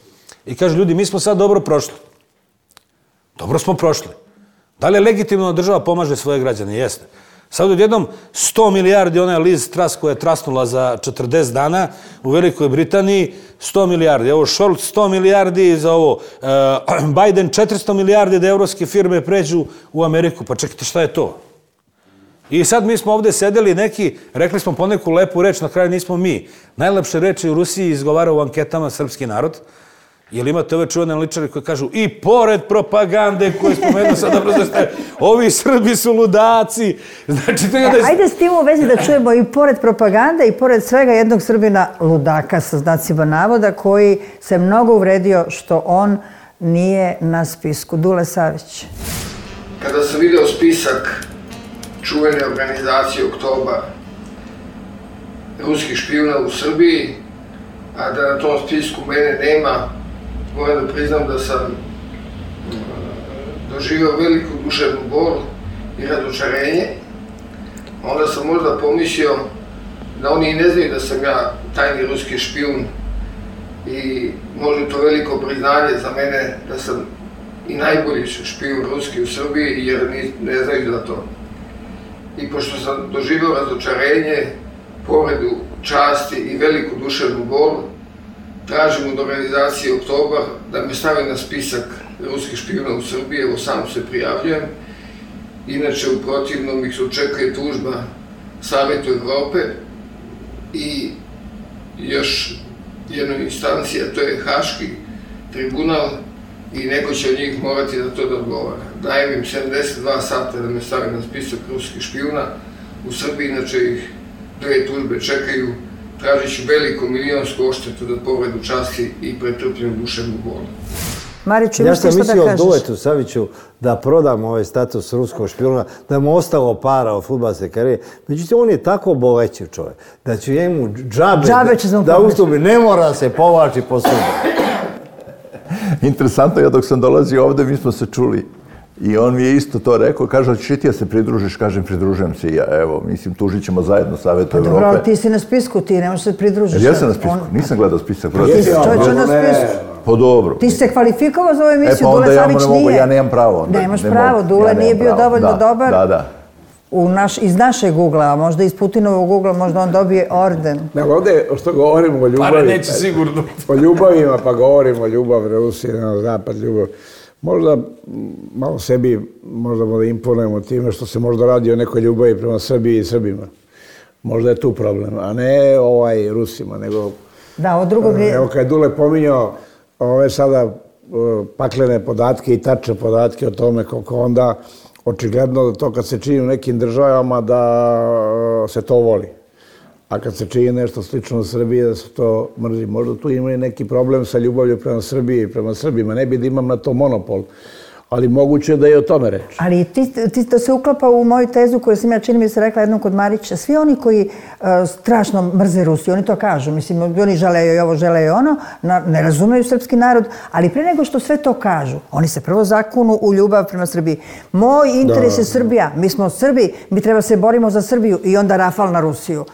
i kaže, ljudi, mi smo sad dobro prošli. Dobro smo prošli. Da li je legitimno da država pomaže svoje građane? Jeste. Sad odjednom 100 milijardi, ona je Liz Truss koja je trasnula za 40 dana u Velikoj Britaniji, 100 milijardi. Evo Scholz 100 milijardi za ovo. Biden 400 milijardi da evropske firme pređu u Ameriku. Pa čekajte, šta je to? I sad mi smo ovdje sedeli neki, rekli smo poneku lepu reč, na kraju nismo mi. Najlepše reči u Rusiji izgovara u anketama srpski narod. Jer imate ove čuvene analitičare koji kažu i pored propagande koje spomenuo sad dobro zašto ovi Srbi su ludaci. Znači, ajde s tim u vezi da čujemo i pored propagande i pored svega jednog Srbina ludaka sa znacima navoda koji se mnogo uvredio što on nije na spisku. Dule Savić. Kada sam video spisak čuvene organizacije Oktobar ruskih špijuna u Srbiji, a da na tom spisku mene nema, moram da priznam da sam doživio veliku duševnu bol i razočarenje. Onda sam možda pomislio da oni i ne znaju da sam ja tajni ruski špijun i možda to veliko priznanje za mene da sam i najbolji špijun ruski u Srbiji jer ne znaju za to. I pošto sam doživio razočarenje, povredu časti i veliku duševnu bol, tražim od organizacije Oktobar da me stavi na spisak ruskih špijuna u Srbiji, evo sam se prijavljujem. Inače, u protivnom ih se očekuje tužba Savetu Evrope i još jedna instancija, to je Haški tribunal i neko će od njih morati da to da odgovara. Dajem im 72 sata da me stavi na spisak ruskih špijuna u Srbiji, inače ih 2 tužbe čekaju. Tražit ću veliku milionsku odštetu za povredu časti i pretrpljenu duševnu bolu. Mariću, imaš ti što da kažeš? Ja sam mislio Duletu Saviću da prodam ovaj status ruskog špijuna, da mu ostalo para od fudbalske karijere. Međutim, on je tako bolećiv čovjek da će njemu džabe da ustupi, ne mora se povlači po Srbiji. Interesantno, ja dok sam dolazio ovdje, mi smo se čuli. I on mi je isto to rekao, kaže, hoćeš i ti ja se pridružiš, kažem, pridružujem se i ja, evo, mislim, tužit ćemo zajedno Savetu Evrope. Dobro, ti si na spisku, ti ne možeš se pridružiš. Ja sam na spisku, nisam gledao spisak. Ti si čovječe na spisku. Pa dobro. Ti si se kvalifikovao za ovu emisiju, Dule Savić nije. Ja nemam pravo. Nemaš pravo, Dule nije bio dovoljno dobar. Da. Iz našeg ugla, a možda iz Putinovog ugla, možda on dobije orden. Ovdje što govorimo o ljubavi, Pare neće sigurno. O ljubavima, pa govorimo o ljubavi Rusije, na zapad ljubav. Možda malo sebi možda da imponujemo time što se možda radi o nekoj ljubavi prema Srbiji i Srbima. Možda je tu problem, a ne Rusima, nego... Da, od drugog... Evo kad je Dule pominjao ove sada paklene podatke i tačne podatke o tome koliko onda očigledno da to kad se čini u nekim državama da se to voli. A kad se čini nešto slično u Srbiji da se to mrzi. Možda tu ima i neki problem sa ljubavlju prema Srbiji i prema Srbima. Ne bi da imam na to monopol. Ali moguće da je o tome reč. Ali ti to se uklapa u moju tezu koju sam ja čini mi se rekla jednom kod Marića. Svi oni koji strašno mrze Rusiju, oni to kažu. Mislim, oni želeju i ovo, želeju ono, ne razumeju srpski narod, ali pre nego što sve to kažu, oni se prvo zakunu u ljubav prema Srbiji. Moj interes je Srbija. Mi smo Srbi, mi treba se borimo za Srbiju i onda rafal na Rusiju.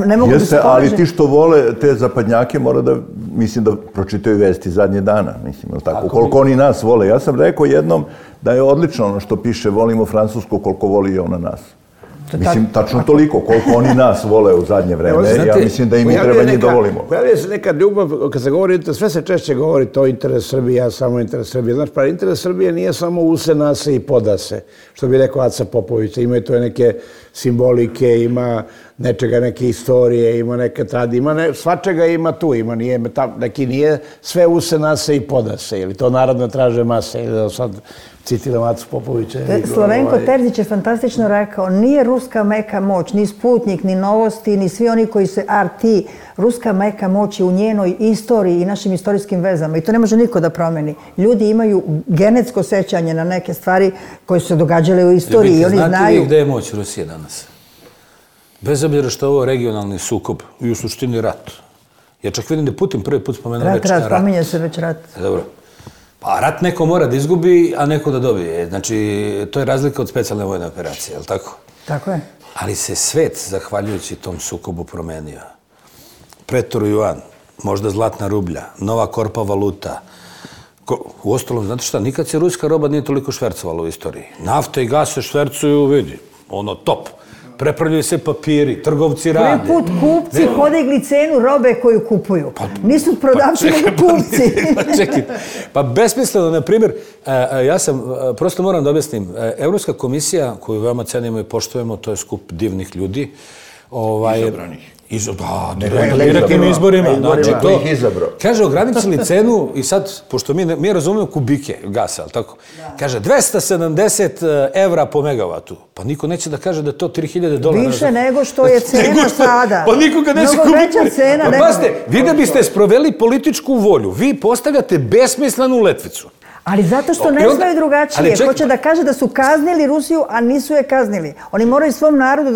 Ne mogu da se polaže. Ali ti što vole te zapadnjake mora da, mislim, da pročitaju vesti zadnje dana, mislim, ili tako, koliko oni nas vole. Ja sam rekao jednom da je odlično ono što piše volimo Francusku koliko voli i ona nas. Mislim, tačno toliko koliko oni nas vole u zadnje vreme. Ja mislim da i mi treba njih da volimo. Pojavljuje se neka ljubav, kad se govori, sve se češće govori to interes Srbije, ja samo interes Srbije. Znaš, pa interes Srbije nije samo use, nase i podase, što bi rekao Aca Popović. Ima i to neke simbolike, ima nečega, neke istorije, ima neke tradije, svačega ima tu, ima neki nije sve use, nase i podase, ili to narodno traže mase, ili sad citiram Acu Popovića. Slavenko Terzić je fantastično rekao, nije ruska meka moć, ni Sputnik, ni Novosti, ni svi oni koji se RT, ruska meka moć je u njenoj istoriji i našim istorijskim vezama i to ne može niko da promeni. Ljudi imaju genetsko sećanje na neke stvari koje su se događale u istoriji i oni znaju... Znate li gde je moć Rusije danas? Bez obzira što je ovo regionalni sukob i u suštini rat. Ja čak vidim da Putin prvi put spomenuo već rat. Spominje se već rat. Dobro. Pa rat neko mora da izgubi, a neko da dobije. Znači, to je razlika od specijalne vojne operacije, je li tako? Tako je. Ali se svet, zahvaljujući tom sukobu, promenio. Pretor Juan, možda zlatna rublja, nova korpa valuta. Uostalom, znate šta, nikad se ruska roba nije toliko švercovala u istoriji. Nafta i gas se švercuju, vidi. ono top. Prepravljaju se papiri, trgovci rade. Prvi put kupci podigli cenu robe koju kupuju. Nisu prodavci, nego kupci. Čekaj, pa besmisleno, na primjer, ja sam, prosto moram da objasnim, Evropska komisija, koju veoma cenimo i poštujemo, to je skup divnih ljudi. Izabranih. Direktnim izborima. Znači, to kaže, ograničili cenu i sad, pošto mi razumemo kubike gasa, ali tako? Kaže, 270 evra po megavatu. Pa niko neće da kaže da je to $3.000. Više nego što je cena sada. Pa nikoga neće kupiti. Mnogo veća cena. Pa pazite, vi da biste sproveli političku volju, vi postavljate besmislenu letvicu. Ali zato što ne znaju drugačije. Hoće da kaže da su kaznili Rusiju, a nisu je kaznili. Oni moraju svom narodu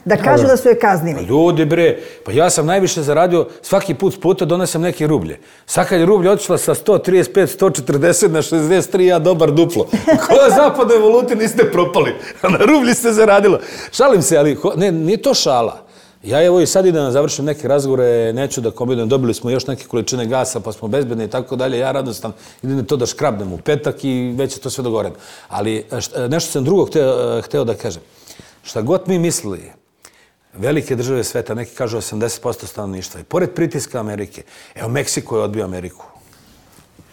da kažu da su je kaznili. Ljudi bre, pa ja sam najviše zaradio, svaki put s puta donesem neke rublje. Svaka je rublja otišla sa 135, 140 na 63, ja dobar duplo. Koja zapadnoj valuti niste propali, a na rublji ste zaradilo. Šalim se, ali nije to šala. Ja evo i sad idem da završim neke razgovore, neću da kombinujem, dobili smo još neke količine gasa, pa smo bezbedni i tako dalje, ja radostan idem to da škrabnem u petak i već je to sve dogovoreno. Ali nešto sam drugo hteo da kažem. Šta god mi mislili, velike države sveta, neki kažu 80% stanovništva, i pored pritiska Amerike, evo Meksiko je odbio Ameriku.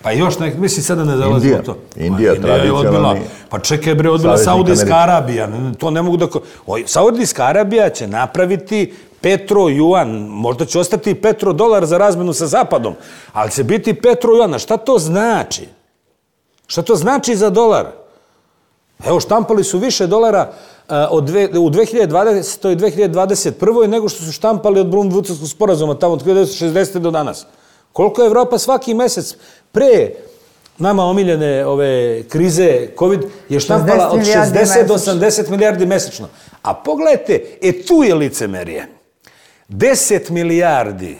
Pa još nek, mislim sada ne zalazi u to. Indija tradicionalni. Pa čekaj bre, odbila Saudijska Arabija. To ne mogu da... Saudijska Arabija će napraviti petrojuan. Možda će ostati petrodolar za razmenu sa Zapadom, ali će biti petrojuan. Šta to znači? Šta to znači za dolar? Evo, štampali su više dolara u 2020. i 2021. nego što su štampali od Brundtlandskog sporazuma tamo od 1960. do danas. Koliko je Evropa svaki mesec pre nama omiljene ove krize COVID je štampala od 60 do 80 milijardi mesečno. A pogledajte, tu je licemerije. 10 milijardi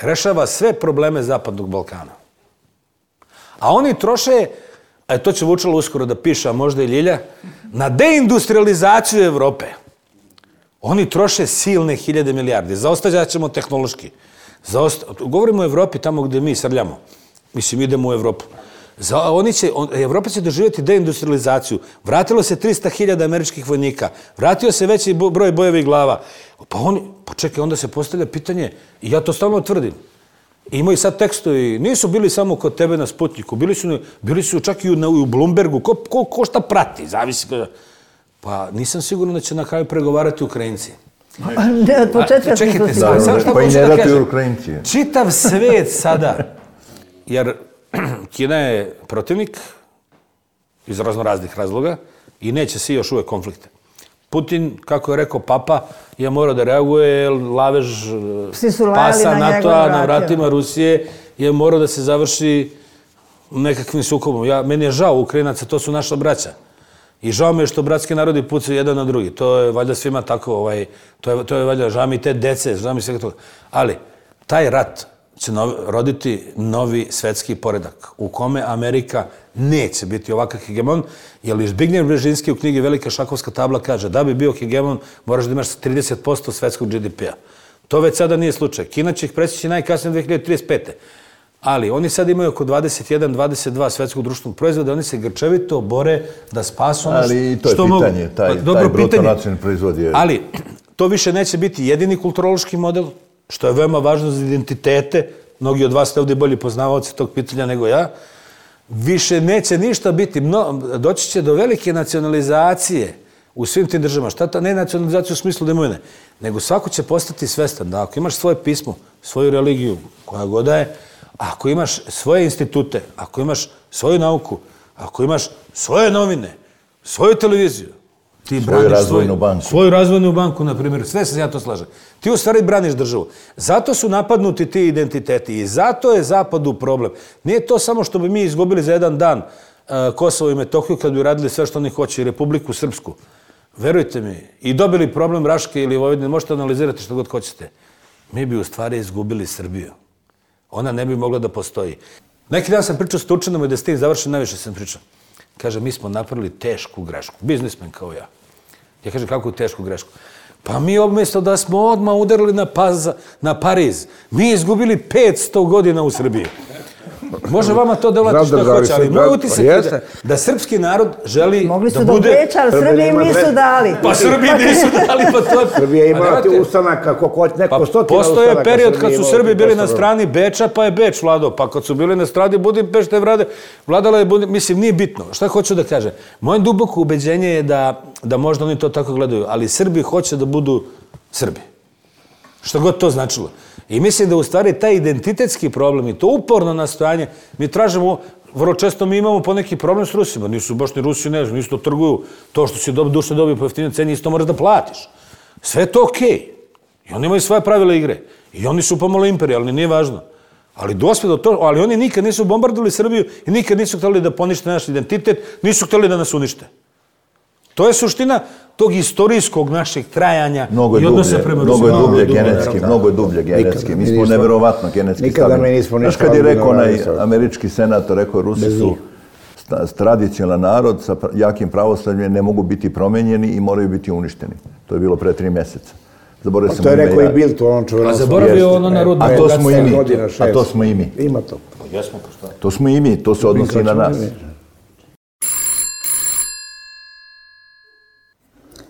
rešava sve probleme Zapadnog Balkana. A oni troše, to će Vučalo uskoro da piše, a možda i Ljilja, na deindustrializaciju Evrope. Oni troše silne hiljade milijardi. Zaostajat ćemo tehnološki. Govorimo o Evropi tamo gde mi srljamo. Mislim, idemo u Evropu. Evropa će doživjeti deindustrializaciju. Vratilo se 300.000 američkih vojnika. Vratio se veći broj bojevih glava. Pa čekaj, onda se postavlja pitanje, i ja to stalno tvrdim. Imaju sad tekstovi, nisu bili samo kod tebe na Sputniku, bili su čak i u Bloombergu. Ko šta prati, zavisi. Pa nisam siguran da će na kraju pregovarati Ukrajinci. Od početka smo sigurni. Pa i ne ratuju Ukrajinci. Čitav svet sada, jer Kina je protivnik iz raznoraznih razloga i neće se još uvek konflikte. Putin, kako je rekao Papa, je morao da reaguje, lavež pasa NATO-a na vratima Rusije je morao da se završi nekakvim sukobom. Meni je žao Ukrajinaca, to su naša braća. I žao mi je što bratski narodi pucaju jedan na drugi. To je valjda svima tako, to je valjda, žao mi te dece, žao mi svega toga. Ali taj rat će roditi novi svetski poredak u kome Amerika neće biti ovakav hegemon, jer Zbigniew Brzezinski u knjigi Velika šahovska tabla kaže da bi bio hegemon moraš da imaš 30% svetskog GDP-a. To već sada nije slučaj. Kina će ih presjeći najkasnije 2035. Ali oni sad imaju oko 21-22 svetskog društvenog proizvoda, oni se grčevito bore da spasu ono što mogu. Ali i to je pitanje, taj bruto nacionalni proizvod je... Ali to više neće biti jedini kulturološki model, što je veoma važno za identitete. Mnogi od vas ste ovdje bolji poznavaoci tog pitanja nego ja. Više neće ništa biti. Doći će do velike nacionalizacije u svim tim državama. Šta ta ne nacionalizacija u smislu imovine, nego svako će postati svestan da ako imaš svoje pismo, svoju religiju, koja god je, ako imaš svoje institute, ako imaš svoju nauku, ako imaš svoje novine, svoju televiziju, ti braniš svoju razvojnu banku, na primjer, sve se ja to slažem. Ti u stvari braniš državu. Zato su napadnuti ti identiteti i zato je Zapadu problem. Nije to samo što bi mi izgubili za jedan dan Kosovo i Metohiju kad bi radili sve što oni hoće i Republiku Srpsku. Verujte mi, i dobili problem Raške ili Vojvodine, možete analizirati što god hoćete. Mi bi u stvari izgubili Srbiju. Ona ne bi mogla da postoji. Neki dan sam pričao s Turčinom i da s tim završim, najviše sam pričao. Kaže, mi smo napravili tešku grešku. Biznismen kao ja. Ja kažem, kakvu tešku grešku? Pa mi umjesto da smo odmah udarili na Pariz, mi izgubili 500 godina u Srbiji. Može vama to delati što hoće, ali moj utisak je da srpski narod želi da bude... Mogli su da Beča, ali Srbiji im nisu dali. Pa Srbiji nisu dali, pa to je... Srbija ima ti ustanaka, neko stotina ustanaka. Postoje period kad su Srbi bili na strani Beča, pa je Beč vladao. Pa kad su bili na strani Budimpešte, vladala je Budimpešte. Mislim, nije bitno. Šta hoću da kažem? Moje duboko ubeđenje je da možda oni to tako gledaju, ali Srbi hoće da budu Srbi. Što god to značilo. I mislim da u stvari taj identitetski problem i to uporno nastojanje, mi tražimo, vrlo često mi imamo poneki problem s Rusima. Nisu baš ni Rusi, ne znam, isto trguju. To što si duše dobio po jeftinoj ceni, isto moraš da platiš. Sve je to okej. I oni imaju svoje pravila igre. I oni su pomalo imperijalni, nije važno. Ali dospjedo to, ali oni nikad nisu bombardovali Srbiju i nikad nisu htjeli da ponište naš identitet, nisu htjeli da nas unište. To je suština tog istorijskog našeg trajanja i odnosa prema Rusima. Mnogo je dublje genetski. Mi smo neverovatno genetski nikada mi nismo ništa. Znaš kad je rekao onaj američki senator, rekao Rusi su tradicionalan narod sa jakim pravoslavljem, ne mogu biti promenjeni i moraju biti uništeni. To je bilo pre 3 mjeseca. To je rekao i Bill, to on čuveno. A zaboravio ono narodno. A to smo i mi. A to smo i mi. Ima to. Jesmo, pa šta? To smo i mi, to se odnosi i na nas.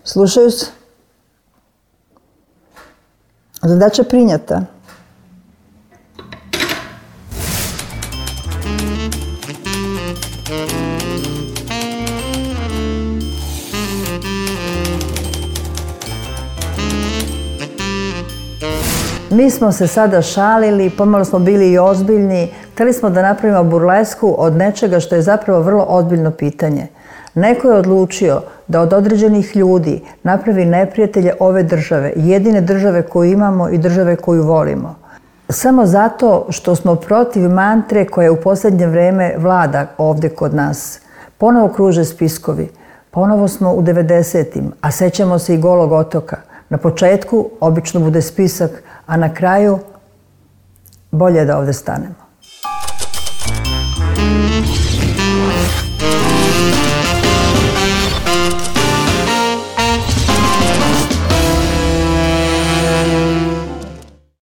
Slušaju se. Zadaća prinjata. Mi smo se sada šalili, pomalo smo bili i ozbiljni. Htjeli smo da napravimo burlesku od nečega što je zapravo vrlo ozbiljno pitanje. Neko je odlučio da od određenih ljudi napravi neprijatelje ove države, jedine države koju imamo i države koju volimo. Samo zato što smo protiv mantre koja u posljednje vrijeme vlada ovdje kod nas. Ponovo kruže spiskovi, ponovo smo u 90-im, a sećamo se i Golog otoka. Na početku obično bude spisak, a na kraju bolje je da ovdje stanemo.